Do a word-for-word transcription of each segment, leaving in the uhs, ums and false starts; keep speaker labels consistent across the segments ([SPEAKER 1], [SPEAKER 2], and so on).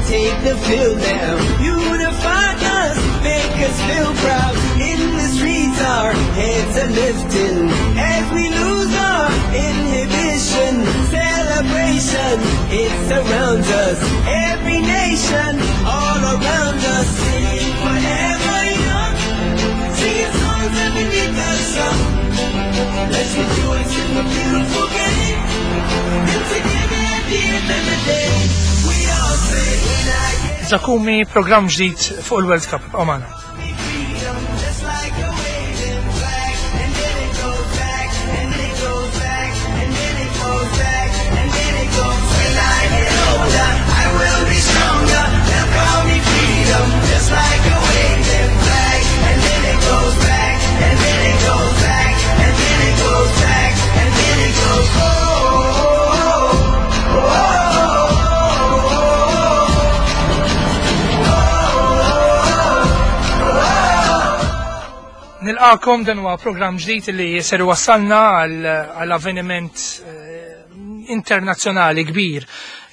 [SPEAKER 1] take the field now. Unify us, make us feel proud. In the streets, our heads are lifting as we lose our inhibition. Celebration, it surrounds us. Every nation, all around us, singing forever young, singing songs underneath the sun. Let's rejoice in the beautiful game. And together at the end of the day, we all say, when I get
[SPEAKER 2] Zakumi, programm ġdid fuq il-World Cup, ibqgħu magħna.
[SPEAKER 1] freedom, just like a waving flag. And then it goes back, and it goes back, and then it goes back, and then it goes. When I get older, I will be stronger. They'll call me freedom, just like a waving flag. And then it goes back, and then it goes back, and then it goes back, and then it goes. Oh, oh, oh, oh, oh, oh.
[SPEAKER 2] Nilqakom, dan huwa programm ġdid li ser wassalna għal avveniment eh, internazzjonali kbir,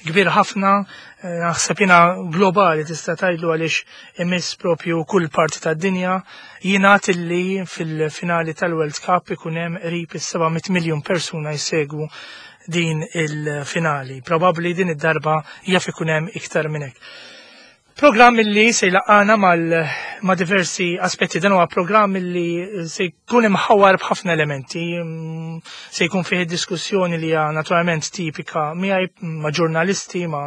[SPEAKER 2] kbir ħafna, eh, naħseb jiena globali tista' tgħidlu, għaliex imiss propju kull parti tad-dinja. Jingħad illi fil-finali tal-World Cup ikun hemm qrib is-seba' mitt miljun persuna jsegwu din il-finali. Probabbli din id-darba jaf ikun hemm iktar minn hekk. Programm illi se jlaqqana mal ma' diversi aspetti. Dan huwa programm illi se jkun imħawar b'ħafna elementi, mm, se jkun fih diskussjoni li hija naturalment tipika miegħi, ma' ġurnalisti, ma'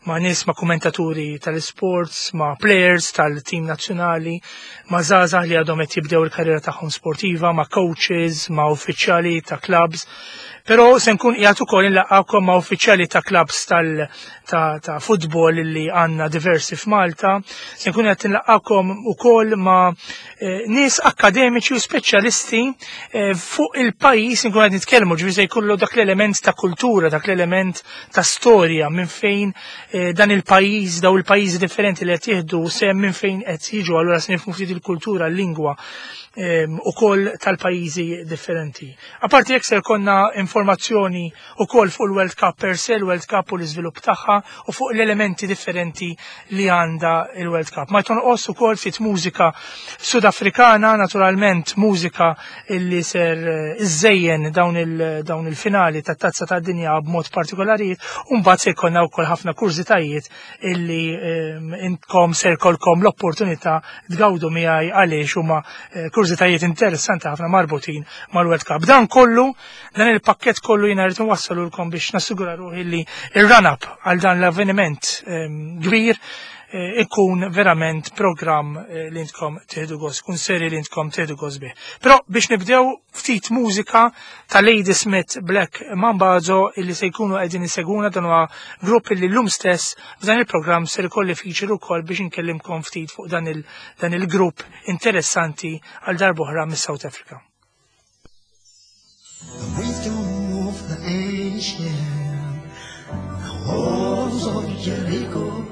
[SPEAKER 2] ma' nies, ma' kommentaturi tal-sports, ma' players tal-team nazzjonali, ma' żgħażagħ li għadhom qed jibdew il-karriera tagħhom sportiva, ma' coaches, ma' uffiċjali ta' clubs. Però se nkun qiegħed ukoll inlaqqakom ma' uffiċjali ta' clubs tal ta', ta' futbol li għandna diversi f'Malta. Se nkun qed inlaqqakom ukoll ma' eh, nies akademiċi u speċjalisti eh, fuq il-pajjiż nkun qed nitkellmu, ġifieri se jkollu dak l-element ta' kultura, dak l-element ta' storja minn fejn eh, dan il-pajjiż, daw il-pajjiżi differenti li qed jieħdu sehem, minn fejn qed jiġu, allura se nifhmu ftit il-kultura, l-lingwa ukoll tal-pajjiżi differenti. Apparti jekk se jkollna informazzjoni ukoll fuq il-World Cup per se, il-World Cup u l-iżvilupp tagħha u fuq l-elementi differenti li għandha il-World Cup. Ma tonqos ukoll ftit mużika Sudafrikana, naturalment mużika illi ser eh, iżejjen dawn il-finali tat-Tazza tad-Dinja b'mod partikolari, u mbagħad se jkollna wkoll ħafna kurżitajiet illi intkom ser jkollkom l-opportunità tgawdu miegħi, għaliex huma eh, kurżitajiet interessanti ħafna marbutin mal-World Cup. Dan kollu, dan il-pakket kollu jiena rrid nwassalulkom biex nassigura ruħi li il-run-up għal dan l-avveniment kbir eh, ikun verament program eh, li intkom tieħdu gost, kun seri li intkom tieħdu gost bih. Però biex nibdew, ftit mużika ta' Ladysmith Black Mambazo, illi se jkunu qegħdin iseguna. Dan huwa grupp illi llum stess f'dan il-programm ser ikolli feature ukoll biex nkellimkom ftit fuq dan il dan il-grupp interessanti għal darb'oħra mis-South Africa.
[SPEAKER 3] The wisdom of the ancient, the walls of Jericho,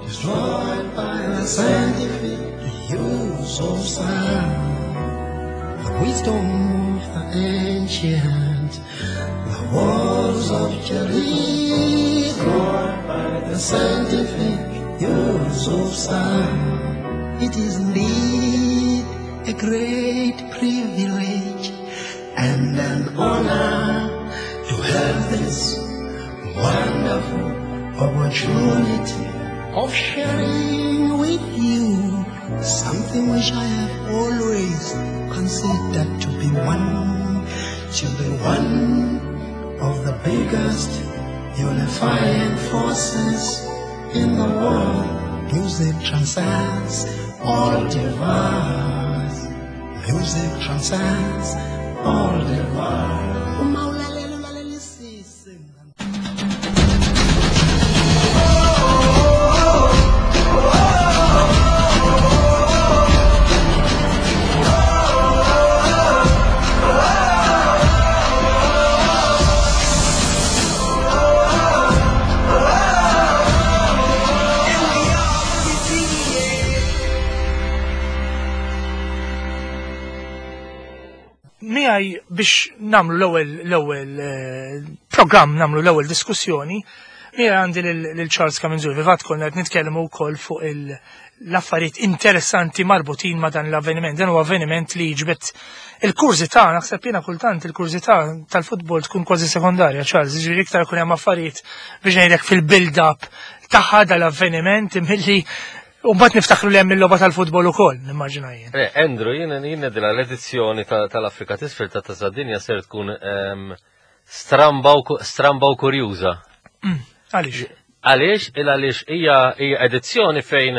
[SPEAKER 3] destroyed by the scientific use of sound. The wisdom of the ancient, the walls of Jericho, by the scientific use of sound. It is indeed a great privilege and an honor to have this wonderful opportunity of sharing with you something which I have always considered to be one, to be one of the biggest unifying forces in the world. Music transcends all divides. Music transcends all divides. Uma ulalela ulalelisise mngani.
[SPEAKER 1] And we all will be singing.
[SPEAKER 2] Miegħi biex nagħmlu l-ewwel l-ewwel eh, programm, nagħmlu l-ewwel diskussjoni, Mira għandi lil Charles Camenzuli, fil-fatt konna qed nitkellmu wkoll fuq l-affarijiet interessanti marbutin ma' dan l-avveniment. Dan huwa avveniment li jiġbed il-kurżità, naħseb jiena kultant il-kurżità tal-futbol tkun kważi sekondarja, Charles, ġifieri iktar ikun hemm affarijiet biex ngħidlek fil-build-up tagħha dal-avveniment milli u mbagħad niftakru li hemm il-logħba tal-futbol ukoll, nimmaġina jien.
[SPEAKER 4] Eh, Andrew, jien jien ngħidilha l-edizzjoni tal-Afrika t'Isfel ta' Tazza Dinja ser tkun ehm, stramba u stramba u kurjuża.
[SPEAKER 2] Mm, għaliex?
[SPEAKER 4] Għaliex? Il għaliex hija hija edizzjoni fejn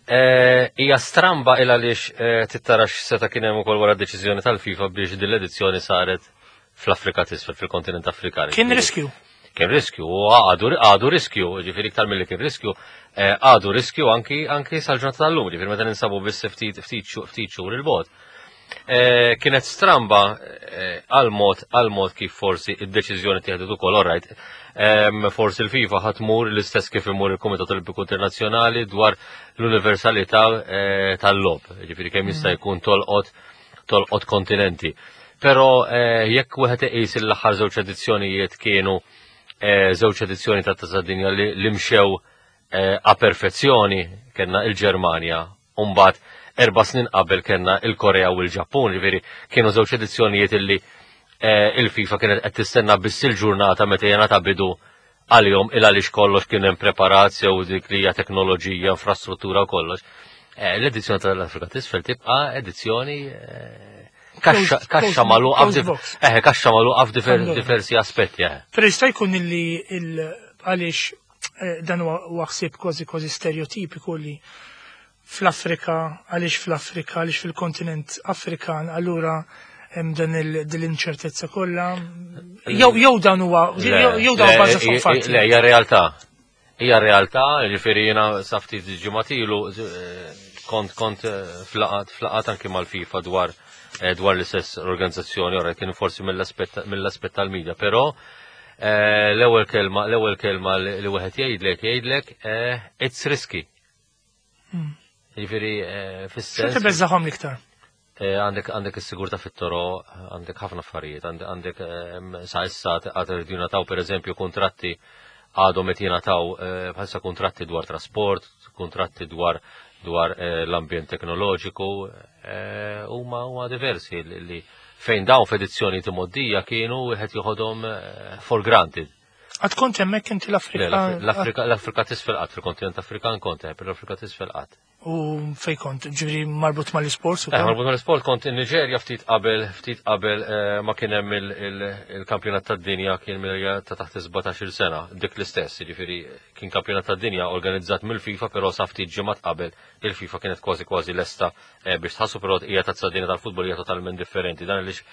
[SPEAKER 4] eh, hija stramba il għaliex eh, tittarax seta kien hemm ukoll wara deċiżjoni tal-FIFA biex din l-edizzjoni saret fl-Afrika t'Isfel, fil-kontinent Afrikan.
[SPEAKER 2] Kien riskju.
[SPEAKER 4] Kien riskju, u għadu, għadu riskju, ġifieri iktar mill-li kien riskju, eh, għadu riskju anki anki sal-ġurnata tal-lum, ġifieri meta ninsabu biss ftit ftit ftit xhur il-bogħod. Eh, kienet stramba eh, għal-mod għal-mod kif forsi id-deċiżjoni tieħdet ukoll, alright. Forsi l-FIFA ħa tmur l-istess kif imur il-Kumitat Olimpiku Internazzjonali dwar l-universalità tal-logħob, ġifieri kemm jista' jkun tolqot tolqot kontinenti. Però jekk wieħed iqis l-aħħar żewġ edizzjonijiet kienu żewġ edizzjoni ta' Tazza Dinja li mxew a perfezzjoni, kellna il-Ġermanja, u mbagħad erba' snin qabel kellna il-Korea u l-Ġappun, ġifieri kienu żewġ edizzjonijiet illi il-FIFA kienet qed tistenna biss il-ġurnata meta jingħata bidu għalihom il għaliex kollox kien hemm preparat sew dik li hija teknoloġija, infrastruttura u kollox. L-edizzjoni tal-Afrika t'Isfel tibqa' edizzjoni kaxxa magħluqa eh kaxxa magħluqa f'diversi aspetti. Eh.
[SPEAKER 2] Però jista' jkun illi għaliex dan huwa ħsieb kważi kważi stereotipiku li fl-Afrika, għaliex fl-Afrika, għaliex fil-kontinent Afrikan, allura hemm dan l-inċertezza kollha. Jew jew dan huwa jew dan huwa bażi fuq fatti.
[SPEAKER 4] Le, hija realtà. Hija realtà, ġifieri jiena sa ftit ġimgħat ilu kont kont f'laqgħat f'laqgħat anki mal-FIFA dwar dwar l-istess organizzazzjoni, ora kien forsi mill-aspett tal-media, però l-ewwel kelma l-ewwel kelma li wieħed jgħidlek jgħidlek it's risky. Hmm. Jiġifieri fis-sens.
[SPEAKER 2] X'ti beżżagħhom l-iktar?
[SPEAKER 4] Għandek għandek is-sigurtà fit-toroq, għandek ħafna affarijiet, għandek sa issa għad irridu jingħataw pereżempju kontratti għadhom qed jingħataw bħalissa kontratti dwar trasport, kontratti dwar dwar l-ambjent teknoloġiku, huma huma diversi li fejn dawn f'edizzjoni imgħoddija kienu wieħed joħodhom for granted.
[SPEAKER 2] Għad kont hemmhekk inti l-Afrika?
[SPEAKER 4] L-Afrika l-Afrika t'Isfel qatt, fil-kontinent Afrikan kont hemm, l-Afrika t'Isfel qatt.
[SPEAKER 2] U fej kont, ġifieri marbut mal-isport?
[SPEAKER 4] Eh, marbut mal-isport kont in Niġerja ftit qabel, ftit qabel eh, ma kien hemm il-kampjonat tad-dinja kien ta' taħt sbatax-il sena, dik l-istess, ġifieri kien kampjonat tad-dinja organizzat mill-FIFA, però sa ftit ġimgħat qabel il-FIFA kienet kważi kważi lesta eh, biex tħassu, però hija Tazza Dinja tal-futbol hija totalment differenti. Dan għaliex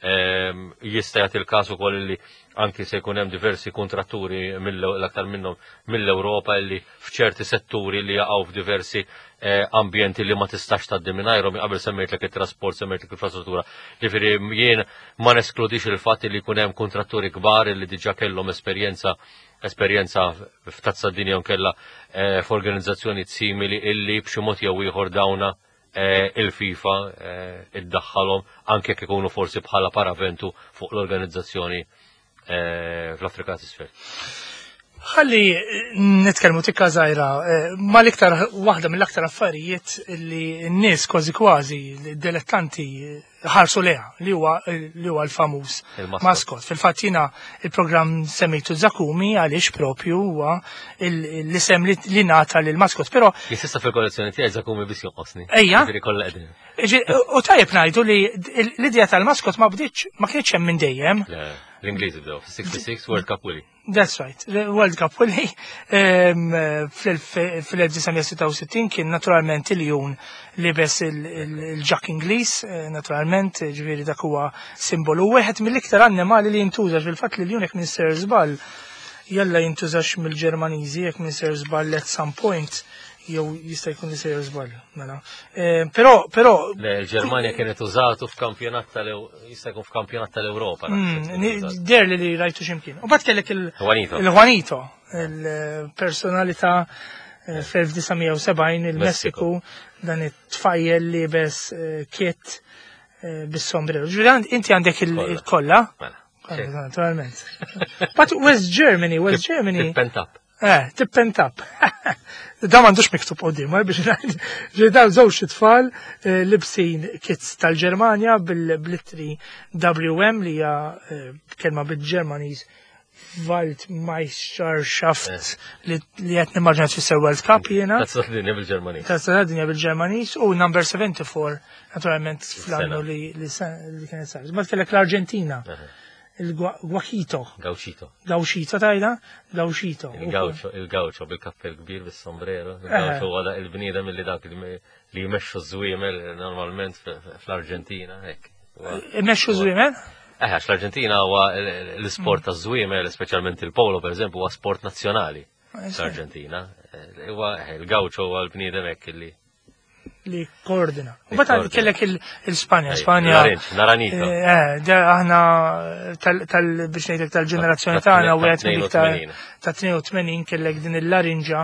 [SPEAKER 4] ehm, jista' jagħti il-każ ukoll li anki se jkun hemm diversi kontratturi l-aktar minnhom mill-Ewropa li f'ċerti setturi li jaqgħu f'diversi eh, ambjenti li ma tistax tgħaddi mingħajrhom. Qabel semmejtlek it-trasport, semmejtlek l-infrastruttura. Ġifieri jien ma neskludix il-fatt li jkun hemm kontratturi kbar li diġà kellhom esperjenza esperjenza f'Tazza Dinja u kella eh, f'organizzazzjoni simili illi b'xi mod jew ieħor dawna eh, il-FIFA iddaħħalhom anke jekk ikunu forsi bħala paraventu fuq l-organizzazzjoni fl-Afrika t'Isfel.
[SPEAKER 2] Ħalli nitkellmu tikka żgħira ma l-iktar waħda mill-aktar affarijiet li n-nies kważi kważi dilettanti ħarsu leha li huwa li huwa l-famuż maskot. Fil-fatt jiena il-programm semmejtu Zakumi għaliex propju huwa l-isem li ngħata lil maskot. Però
[SPEAKER 4] Jisissa fil-kollezzjoni tiegħi Zakumi biss jonqosni.
[SPEAKER 2] Ejja. U tajjeb ngħidu li l-idea tal-maskot ma bdietx ma kienx hemm minn dejjem.
[SPEAKER 4] L-Ingliżi bdew, sitta u sittin World Cup Willy.
[SPEAKER 2] That's right, World Cup Willy fl-elf disa' mija sitta u sittin kien naturalment il-jun libes il-ġakk Ingliż, eh, naturalment, ġifieri dak huwa simbolu. Wieħed mill-iktar annimali li jintuża fil-fatt li l-jun jekk minn ser żball jalla jintużax mill-Ġermaniżi jekk minn ser żball at some point jew jista' jkun li sejjer żball, mela. Eh, Però però
[SPEAKER 4] Le, il-Ġermanja kienet użatu f'kampjonat tal jista' jkun f'kampjonat tal-Ewropa.
[SPEAKER 2] Mm, ni- Der li li rajtu ximkien. U bat kellek il-
[SPEAKER 4] Juanito.
[SPEAKER 2] Il-Juanito, il-personalità eh, fl-elf disa' mija u sebgħin il-Messiku, dan it-tfajjel li bes eh, kit eh, bis-sombrero. Ġifieri inti għandek
[SPEAKER 4] Kollha.
[SPEAKER 2] il-kollha,
[SPEAKER 4] Mela.
[SPEAKER 2] Naturalment. But West Germany, West Germany.
[SPEAKER 4] Tip and tap.
[SPEAKER 2] Eh, tip and tap. Da m'għandux miktub quddiem, eh, biex ngħid. Ġi daw żewġ tfal eh, libsin kits tal-Ġermanja bil-blittri W M li hija eh, kelma bil-Ġermaniż Weltmeisterschaft li li qed nimmaġina tfisser World Cup jiena.
[SPEAKER 4] Tazza dinja bil-Ġermaniż.
[SPEAKER 2] Tazza dinja bil-Ġermaniż u number seventy-four naturalment fl-annu
[SPEAKER 4] Sena.
[SPEAKER 2] li li se- li kienet sar. Ma kellek l-Arġentina, il-Guachito.
[SPEAKER 4] Gauchito.
[SPEAKER 2] Gauchito tajda? Gauchito.
[SPEAKER 4] Il-gaucho, il-gaucho bil-kappell kbir, bis-sombrero. Il-gaucho huwa da il-bniedem li dak li li jmexxu ż-żwiemel normalment fl-Arġentina, hekk. Huwa-
[SPEAKER 2] Imexxu żwiemel?
[SPEAKER 4] Eh, għax l-Arġentina huwa l-sport ta' żwiemel, speċjalment il-polo, per eżempju, huwa sport nazzjonali fl-Arġentina. Eh, Huwa eh, il-gaucho huwa l-bniedem hekk li
[SPEAKER 2] Li koordina. U
[SPEAKER 4] Li
[SPEAKER 2] bata
[SPEAKER 4] koordina.
[SPEAKER 2] kellek il- il-Spanja,
[SPEAKER 4] Ej,
[SPEAKER 2] Spanja.
[SPEAKER 4] Naranj, Naranjito.
[SPEAKER 2] Eh, da aħna tal, tal biex ngħidlek tal-ġenerazzjoni
[SPEAKER 4] Ta'
[SPEAKER 2] tagħna
[SPEAKER 4] ta'
[SPEAKER 2] wieħed mill-iktar
[SPEAKER 4] tnejn u tmenin.
[SPEAKER 2] ta' tnejn u tmenin kellek din il-larinġa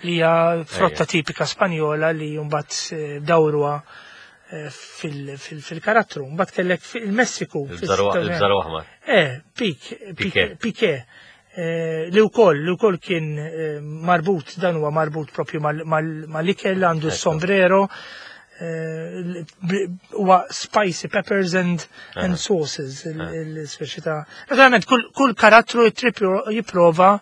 [SPEAKER 2] li hija frotta
[SPEAKER 4] Ejja.
[SPEAKER 2] tipika Spanjola li mbagħad eh, dawruha eh, fil- fil- fil-karattru. Mbagħad kellek fil-Messiku.
[SPEAKER 4] Il-bżaru aħmar.
[SPEAKER 2] Eh, Pik,
[SPEAKER 4] Piqué.
[SPEAKER 2] Piqué. Eh, li wkoll li wkoll kien eh, marbut, dan huwa marbut propju mal- mal- mal-ikel, għandu
[SPEAKER 4] Ekku.
[SPEAKER 2] sombrero, eh, l- b- huwa spicy peppers and, and sauces, il-speċi ta'. Naturalment, kull, kull karattru jitrip- jipprova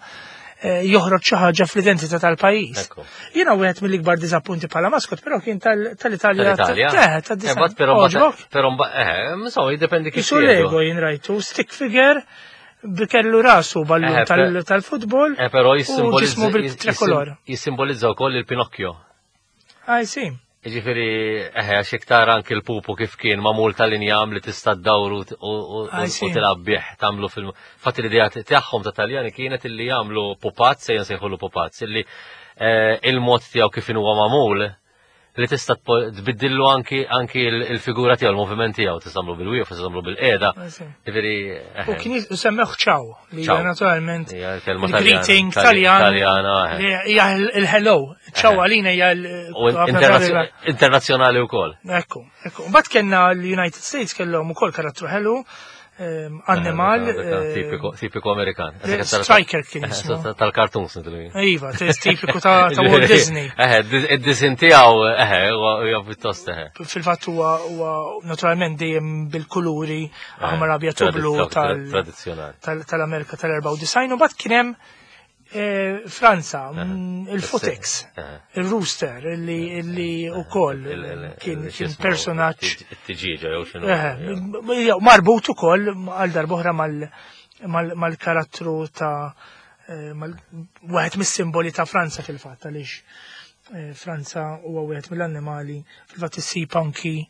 [SPEAKER 2] eh, joħroġ xi ħaġa fl-identità tal-pajjiż.
[SPEAKER 4] Ekku.
[SPEAKER 2] Jiena wieħed mill-ikbar diżappunti bħala maskot, però kien tal- tal-Italja.
[SPEAKER 4] Tal-Italja.
[SPEAKER 2] Eh, ta'
[SPEAKER 4] Eh, bat però
[SPEAKER 2] Oġbok?
[SPEAKER 4] però mbagħad eh, insomma, jiddependi kif
[SPEAKER 2] Isu
[SPEAKER 4] tieħdu.
[SPEAKER 2] Lego jien rajtu, stick figure, bikellu rasu ballun
[SPEAKER 4] Eh,
[SPEAKER 2] tal-
[SPEAKER 4] per-
[SPEAKER 2] tal-futbol
[SPEAKER 4] Eh, però
[SPEAKER 2] u ġismu
[SPEAKER 4] jissimbolizza
[SPEAKER 2] bil-trikolor.
[SPEAKER 4] jissimbolizza wkoll il-Pinocchio.
[SPEAKER 2] I see.
[SPEAKER 4] Ġifieri, eħe, għax iktar anki l-pupu kif kien magħmul tal-injam li tista' ddawru u- u
[SPEAKER 2] I
[SPEAKER 4] u
[SPEAKER 2] see.
[SPEAKER 4] tilgħab bih tagħmlu fil. Fatt l-idea tagħhom ta' Taljani kienet illi jagħmlu pupazz, ejja nsejħulu pupazz, illi eh, il-mod tiegħu kif huwa magħmul li tista' tpo- tbiddillu anki anki il- il-figura tiegħu, il-moviment tiegħu, tista' tagħmlu bil-wieqf, tista' tagħmlu bil-qiegħda.
[SPEAKER 2] I see.
[SPEAKER 4] Ġifieri,
[SPEAKER 2] U
[SPEAKER 4] eħe,
[SPEAKER 2] kien semmeħ ciao, li
[SPEAKER 4] Ciao.
[SPEAKER 2] hija naturalment
[SPEAKER 4] hija kelma
[SPEAKER 2] il-greeting
[SPEAKER 4] Taljana,
[SPEAKER 2] Taljan
[SPEAKER 4] Taljana, eħe.
[SPEAKER 2] li hija il-hello. Ciao
[SPEAKER 4] Eħe.
[SPEAKER 2] għalina hija l-
[SPEAKER 4] U internazio- internazzjonali wkoll.
[SPEAKER 2] Ekku, ekku. Mbagħad kellna l-United States, kellhom ukoll karattru ħelu, ehm, annimal.
[SPEAKER 4] Eħe, dak-
[SPEAKER 2] eh,
[SPEAKER 4] Tipiku tipiku Amerikan.
[SPEAKER 2] Striker kien jismu.
[SPEAKER 4] Tal-cartoons nidlu.
[SPEAKER 2] Iva, tipiku ta' ta' Walt Disney.
[SPEAKER 4] Eħe, id-disin tiegħu, eħe, huwa huwa pjuttost eħe.
[SPEAKER 2] Fil-fatt huwa huwa naturalment dejjem bil-kuluri aħmar, abjad u blu tal-
[SPEAKER 4] Tradizzjonali.
[SPEAKER 2] tal- tal-Amerika tal-erbgħa u disgħin u mbagħad kien hemm eh, Franza, mm, il-Footix,
[SPEAKER 4] Eħe.
[SPEAKER 2] il-Rooster, illi illi ukoll kien kien personaġġ
[SPEAKER 4] It-tiġiġa jew x'inhu.
[SPEAKER 2] eh, jew marbut ukoll għal darb'oħra mal- mal- mal-karattru ta' eh, mal- wieħed mis-simboli ta' Franza fil-fatt, għaliex eh, Franza huwa wieħed mill-annimali, fil-fatt issib anki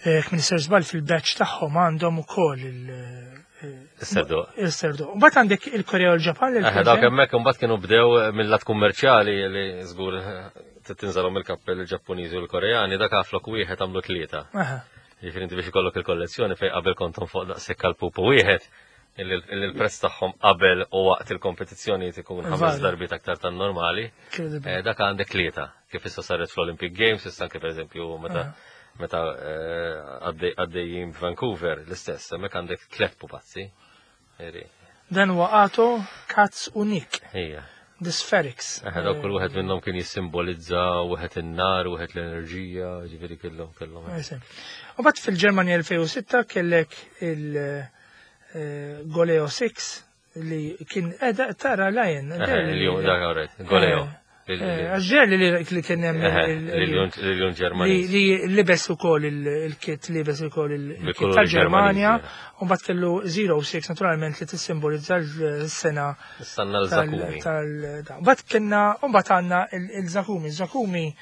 [SPEAKER 2] eh, kmin isir żball fil-badge tagħhom għandhom ukoll il- eh,
[SPEAKER 4] Is-serdu.
[SPEAKER 2] il-serdu. Mbagħad għandek il-Korea u l-Ġapan.
[SPEAKER 4] Eħe, dawk hemmhekk imbagħad kienu bdew mill-lat kummerċjali li żgur tinżalhom il-kappell il-Ġappuniżi u l-Koreani, dak flok wieħed għamlu tlieta.
[SPEAKER 2] Aha.
[SPEAKER 4] Ġifieri inti biex ikollok il-kollezzjoni fejn qabel kontom fuq daqshekk għal pupu wieħed, illi illi l-prezz tagħhom qabel u waqt il-kompetizzjoni ikun ħames
[SPEAKER 2] Varja.
[SPEAKER 4] darbiet aktar tan-normali.
[SPEAKER 2] Incredible.
[SPEAKER 4] Eh, Dak għandek tlieta, kif issa saret fl-Olympic Games, issa anke pereżempju meta meta eh, għaddej- għaddejjin Vancouver l-istess, hemmhekk għandek tliet pupazzi. Eri,
[SPEAKER 2] Dan huwa Ato, Katz u Nick,
[SPEAKER 4] Ija.
[SPEAKER 2] The Spherics.
[SPEAKER 4] Eħe, dawk kull wieħed minnhom kien jissimbolizza wieħed in-nar, wieħed l-enerġija, ġifieri kellhom kellhom.
[SPEAKER 2] Eh, U mbagħad fil-Ġermanja elfejn u sitta kellek il-Goleo sitta li kien edha tara lion.
[SPEAKER 4] Eħe, il-jum, dak alright, Goleo.
[SPEAKER 2] Għax ġer li li kien hemm il-
[SPEAKER 4] Il-jum
[SPEAKER 2] li
[SPEAKER 4] Ġermaniż.
[SPEAKER 2] li libes ukoll il-kit, libes ukoll il-kit
[SPEAKER 4] Bil-kuluri
[SPEAKER 2] tal-Ġermanja
[SPEAKER 4] Ġermaniżi,
[SPEAKER 2] u mbagħad kellu żero sitta naturalment li tissimbolizza l-sena
[SPEAKER 4] Sanna l-Zakumi.
[SPEAKER 2] tal da. Mbagħad kellna u mbagħad għandna il-Zakumi. Zakumi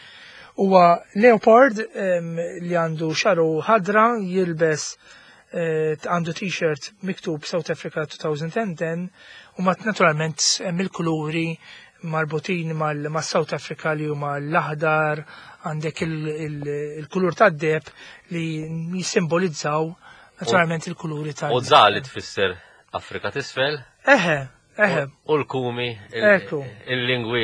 [SPEAKER 2] huwa leopard em, li għandu xaru ħadra, jilbes eh, għandu t-shirt miktub South Africa twenty ten u mat naturalment hemm il-kuluri marbutin mal South Africa li huma l-aħdar, għandek il-kulur tad-deb li jissimbolizzaw naturalment il-kuluri tal
[SPEAKER 4] U za li tfisser Afrika t'isfel,
[SPEAKER 2] Eħe, Eħe.
[SPEAKER 4] U l-kumi, il-
[SPEAKER 2] Ekku.
[SPEAKER 4] il-lingwi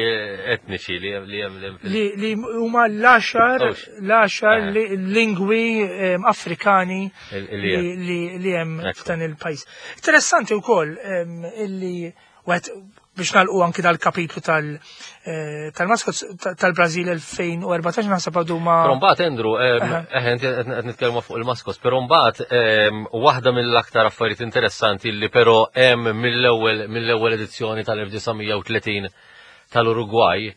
[SPEAKER 4] etniċi li hemm li hemm li hemm fil-
[SPEAKER 2] Li li huma l-għaxar
[SPEAKER 4] Ux.
[SPEAKER 2] l-għaxar
[SPEAKER 4] Eħe.
[SPEAKER 2] li- lingwi em, Afrikani
[SPEAKER 4] Il- li hemm.
[SPEAKER 2] li li- li hemm
[SPEAKER 4] Ekku.
[SPEAKER 2] f'dan il-pajjiż. Interessanti wkoll em, illi wieħed biex nagħlqu anki dal-kapitlu tal- eh, tal-maskots tal-Brażil elfejn u erbatax naħseb għadu ma.
[SPEAKER 4] Però mbagħad, Andrew, em,
[SPEAKER 2] Aha.
[SPEAKER 4] eħe, inti qed qed nitkellmu fuq il-maskots, però mbagħad em, waħda mill-aktar affarijiet interessanti li però hemm mill-ewwel mill-ewwel edizzjoni tal-elf disa' mija u tletin tal-Uruguay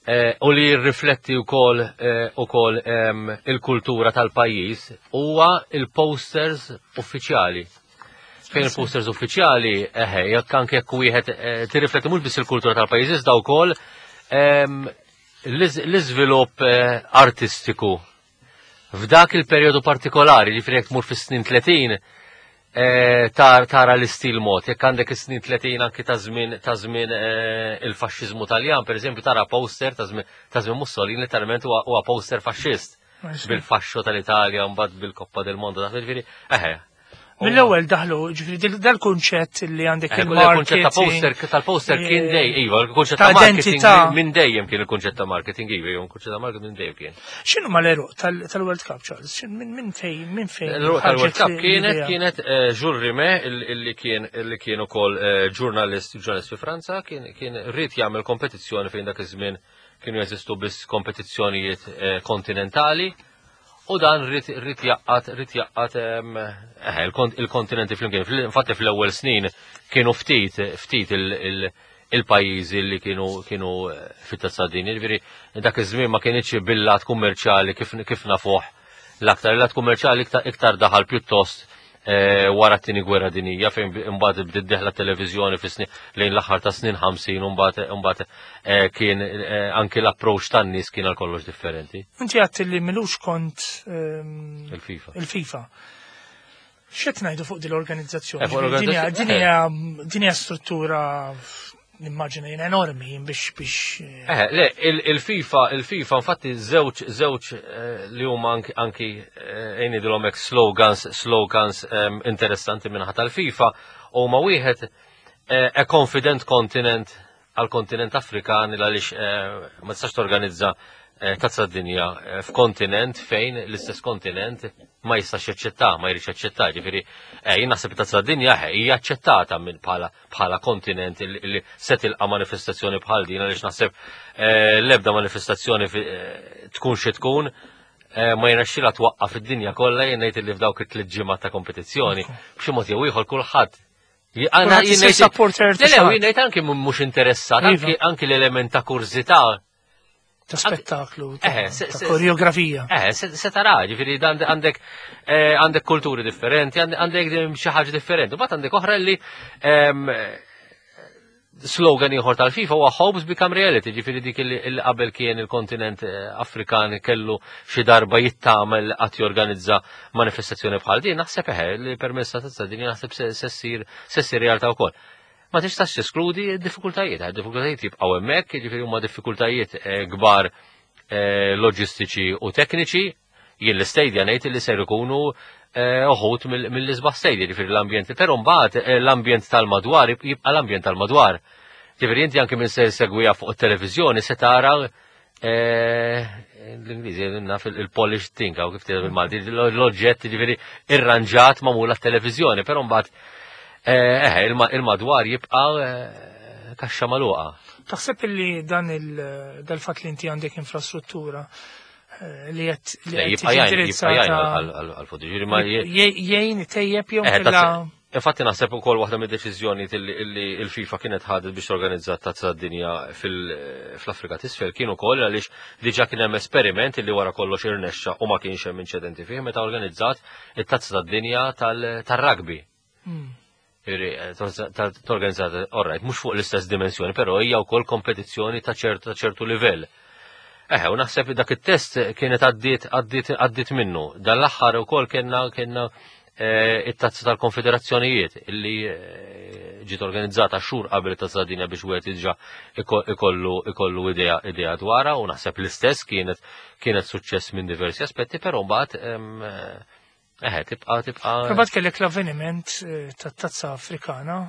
[SPEAKER 4] eh, u li jirrifletti wkoll eh, ukoll em, il-kultura tal-pajjiż huwa il-posters uffiċjali. Fejn il-posters uffiċjali, eħe, jekk anke jekk wieħed eh, tirrifletti mhux biss il-kultura tal-pajjiż iżda wkoll em, l-iż- l-iżvilupp eh, artistiku f'dak il-perjodu partikolari, ġifieri jekk tmur fis-snin tletin, eh, tar, tara l-istil mod. Jekk għandek is-snin tletin anki ta' żmien ta' żmien eh, il-faxxiżmu Taljan, per eżempju, tara poster ta' żmien ta' żmien Mussolini, letteralment huwa huwa poster faxxist bil-fasċo tal-Italja, mbagħad bil-Coppa del Mondo, dak ġifieri, eħe.
[SPEAKER 2] Mill-ewwel daħlu, ġifieri dil- dal-kunċett li għandek
[SPEAKER 4] Eh, il-kunċett ta'
[SPEAKER 2] il-marketing.
[SPEAKER 4] poster, tal-poster kien
[SPEAKER 2] eh,
[SPEAKER 4] dej, iva, il-kunċett
[SPEAKER 2] ta'
[SPEAKER 4] ta' marketing
[SPEAKER 2] identità.
[SPEAKER 4] minn- minn dejjem kien il-kunċett ta' marketing, iva, il-kunċett ta' marketing minn dejjem kien.
[SPEAKER 2] X'inhu ma l-għeruq tal- tal-World Cup, Charles? X'in- Minn min fejn minn fejn
[SPEAKER 4] L-għeruq tal-World
[SPEAKER 2] ħarġet
[SPEAKER 4] Cup
[SPEAKER 2] l-
[SPEAKER 4] kienet
[SPEAKER 2] l-idea?
[SPEAKER 4] kienet eh, Jules Rimet, il- illi kien illi kien ukoll eh, ġurnalist ġurnalist fi Franza, kien kien ried jagħmel kompetizzjoni fejn dak iż-żmien kienu jeżistu biss kompetizzjonijiet eh, kontinentali u dan ried ried jgħaqqad ried jgħaqqad em, eh, il-kont- il-kontinenti flimkien. Fil- Infatti fl-ewwel snin kienu ftit ftit il- il- il-pajjiżi li kienu kienu eh, fit-tazza dinja. Ġifieri dak iż-żmien ma kienx bil-lat kummerċjali kif kif nafuh l-aktar. Il-lat kummerċjali iktar, iktar daħal pjuttost eh, wara t-tieni gwerra dinija, fejn bi- imbagħad bdiet dieħla televiżjoni fi snin lejn l-aħħar ta' snin ħamsin u mbagħad imbagħad eh, kien eh, anki l-approach tan-nies kien għal kollox differenti.
[SPEAKER 2] Inti għedt li m'ilux kont ehm,
[SPEAKER 4] Il-FIFA.
[SPEAKER 2] Il-FIFA. X'qed ngħidu fuq din l-organizzazzjoni?
[SPEAKER 4] Eh, fuq
[SPEAKER 2] Ġifieri din hija-
[SPEAKER 4] l-organizzazzjoni-
[SPEAKER 2] Din hija din hija struttura, nimmaġina jien, enormi biex biex eh,
[SPEAKER 4] Eh, le, il- il-FIFA, il-FIFA, infatti żewġ żewġ eh, li huma anki anki eh, ngħidilhom hekk slogans slogans em, interessanti minnaħa tal-FIFA huma wieħed eh, "A confident continent" għal kontinent Afrikan, għaliex eh, ma tistax torganizza eh, tazza dinja eh, f'kontinent fejn l-istess kontinent ma jistax jaċċetta, ma jridx jaċċetta, ġifieri eh, jien naħseb tazza dinja eh, hija aċċettata minn bħala bħala kontinent li li se tilqa' manifestazzjoni bħal din, għaliex naħseb eh, l-ebda manifestazzjoni fi- eh, tkun xi tkun eh, ma jirnexxilha twaqqaf id-dinja kollha. Jien ngħid li f'dawk it-tliet ġimgħat ta' kompetizzjoni b'xi mod jew ieħor kulħadd Għana
[SPEAKER 2] Kulħadd isir supporter ta'
[SPEAKER 4] Le, le,
[SPEAKER 2] xi ħadd.
[SPEAKER 4] jien ngħid anki mhux interessat,
[SPEAKER 2] Iva.
[SPEAKER 4] anki anki l-element ta' kurżità
[SPEAKER 2] ta' spettaklu, ta'
[SPEAKER 4] Eh, se-
[SPEAKER 2] ta'
[SPEAKER 4] se-
[SPEAKER 2] koreografija.
[SPEAKER 4] Eh, se, se tara, ġifieri dan għandek eh, għandek kulturi differenti, għandek għandek xi ħaġa differenti. Mbagħad għandek oħra li em, slogan ieħor tal-FIFA huwa "Hopes become reality", ġifieri dik li li qabel kien il-kontinent eh, Afrikan kellu xi darba jittamel qatt jorganizza manifestazzjoni bħal din, naħseb eħe li permessa ta' din naħseb se se ssir se ssir realtà wkoll. Ma tistax teskludi d-diffikultajiet, eh, diffikultajiet jibqgħu hemmhekk, ġifieri huma diffikultajiet eh, kbar eh, loġistiċi u tekniċi. Jien l-istadia ngħid li ser ikunu eh, uħud mill- mill-isbaħ stadia, ġifieri l-ambjent, però mbagħad eh, l-ambjent tal-madwar jibqa' l-ambjent tal-madwar. Ġifieri inti anke minn se segwija fuq it-televiżjoni se tara eh, l-Ingliżi naf il-polished thing, għaw kif tgħid bil-Malti, l-oġġett ġifieri irranġat magħmul għat-televiżjoni, però mbagħad eh, eh, il-ma- il-madwar jibqa' eh, kaxxa magħluqa.
[SPEAKER 2] Taħseb li dan il dal-fatt li inti għandek infrastruttura eh, li qed li
[SPEAKER 4] Le,
[SPEAKER 2] qed
[SPEAKER 4] jibqa'
[SPEAKER 2] tiġi
[SPEAKER 4] jgħin, jibqa' jgħin
[SPEAKER 2] indirizzata
[SPEAKER 4] għal-futur. Ġifieri ma
[SPEAKER 2] jgħin jgħin tejjeb jew
[SPEAKER 4] Eh,
[SPEAKER 2] kella
[SPEAKER 4] tazz- Infatti naħseb ukoll waħda mid-deċiżjoni illi il-FIFA kienet ħadet biex torganizza tazza dinja fil-Afrika t'Isfel kien ukoll għaliex diġà kien hemm esperiment illi wara kollox irnexxa u ma kienx hemm inċidenti fih meta organizzat it-tazza tad-dinja tal-rugby.
[SPEAKER 2] Mm.
[SPEAKER 4] Ġifieri, eh, Torganizzat, alright, mhux fuq l-istess dimensjoni, però hija wkoll kompetizzjoni ta' ċertu ta' ċertu livell. Eħe, u naħseb dak it-test kienet għaddiet għaddiet għaddiet minnu. Dan l-aħħar ukoll kellna kellna eh, it-tazza tal-konfederazzjonijiet illi eh, ġiet organizzata xhur qabel it-tazza dinja biex wieħed diġà iko- ikollu ikollu idea idea dwarha, u naħseb l-istess kienet kienet suċċess minn diversi aspetti, però mbagħad em, eh, eħe tibqa' tibqa'
[SPEAKER 2] Mbagħad kellek l-avveniment eh, tat-Tazza Afrikana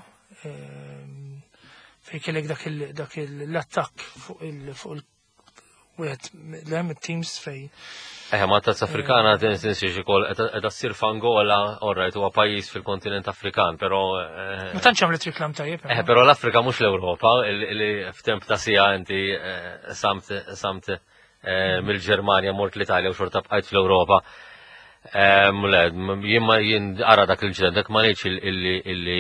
[SPEAKER 2] eh, Fejn kellek dak il- dak il- l-attakk fuq il fuq il wieħed l teams fej.
[SPEAKER 4] Eħe, ma tazza Afrikana tinsiex ukoll qiegħda ssir f'Angola, alright, huwa pajjiż fil-kontinent Afrikan, però eh,
[SPEAKER 2] Ma tantx għamlet reklam tajjeb.
[SPEAKER 4] Eh, però l-Afrika mhux l-Ewropa, li f'temp ta' siegħa inti eh, samt samt eh, mill-Ġermanja mort l-Italja u xorta bqajt fl-Ewropa. Eh, Le, jien ma jien ara dak il-ġded, dak ma ngħidx illi illi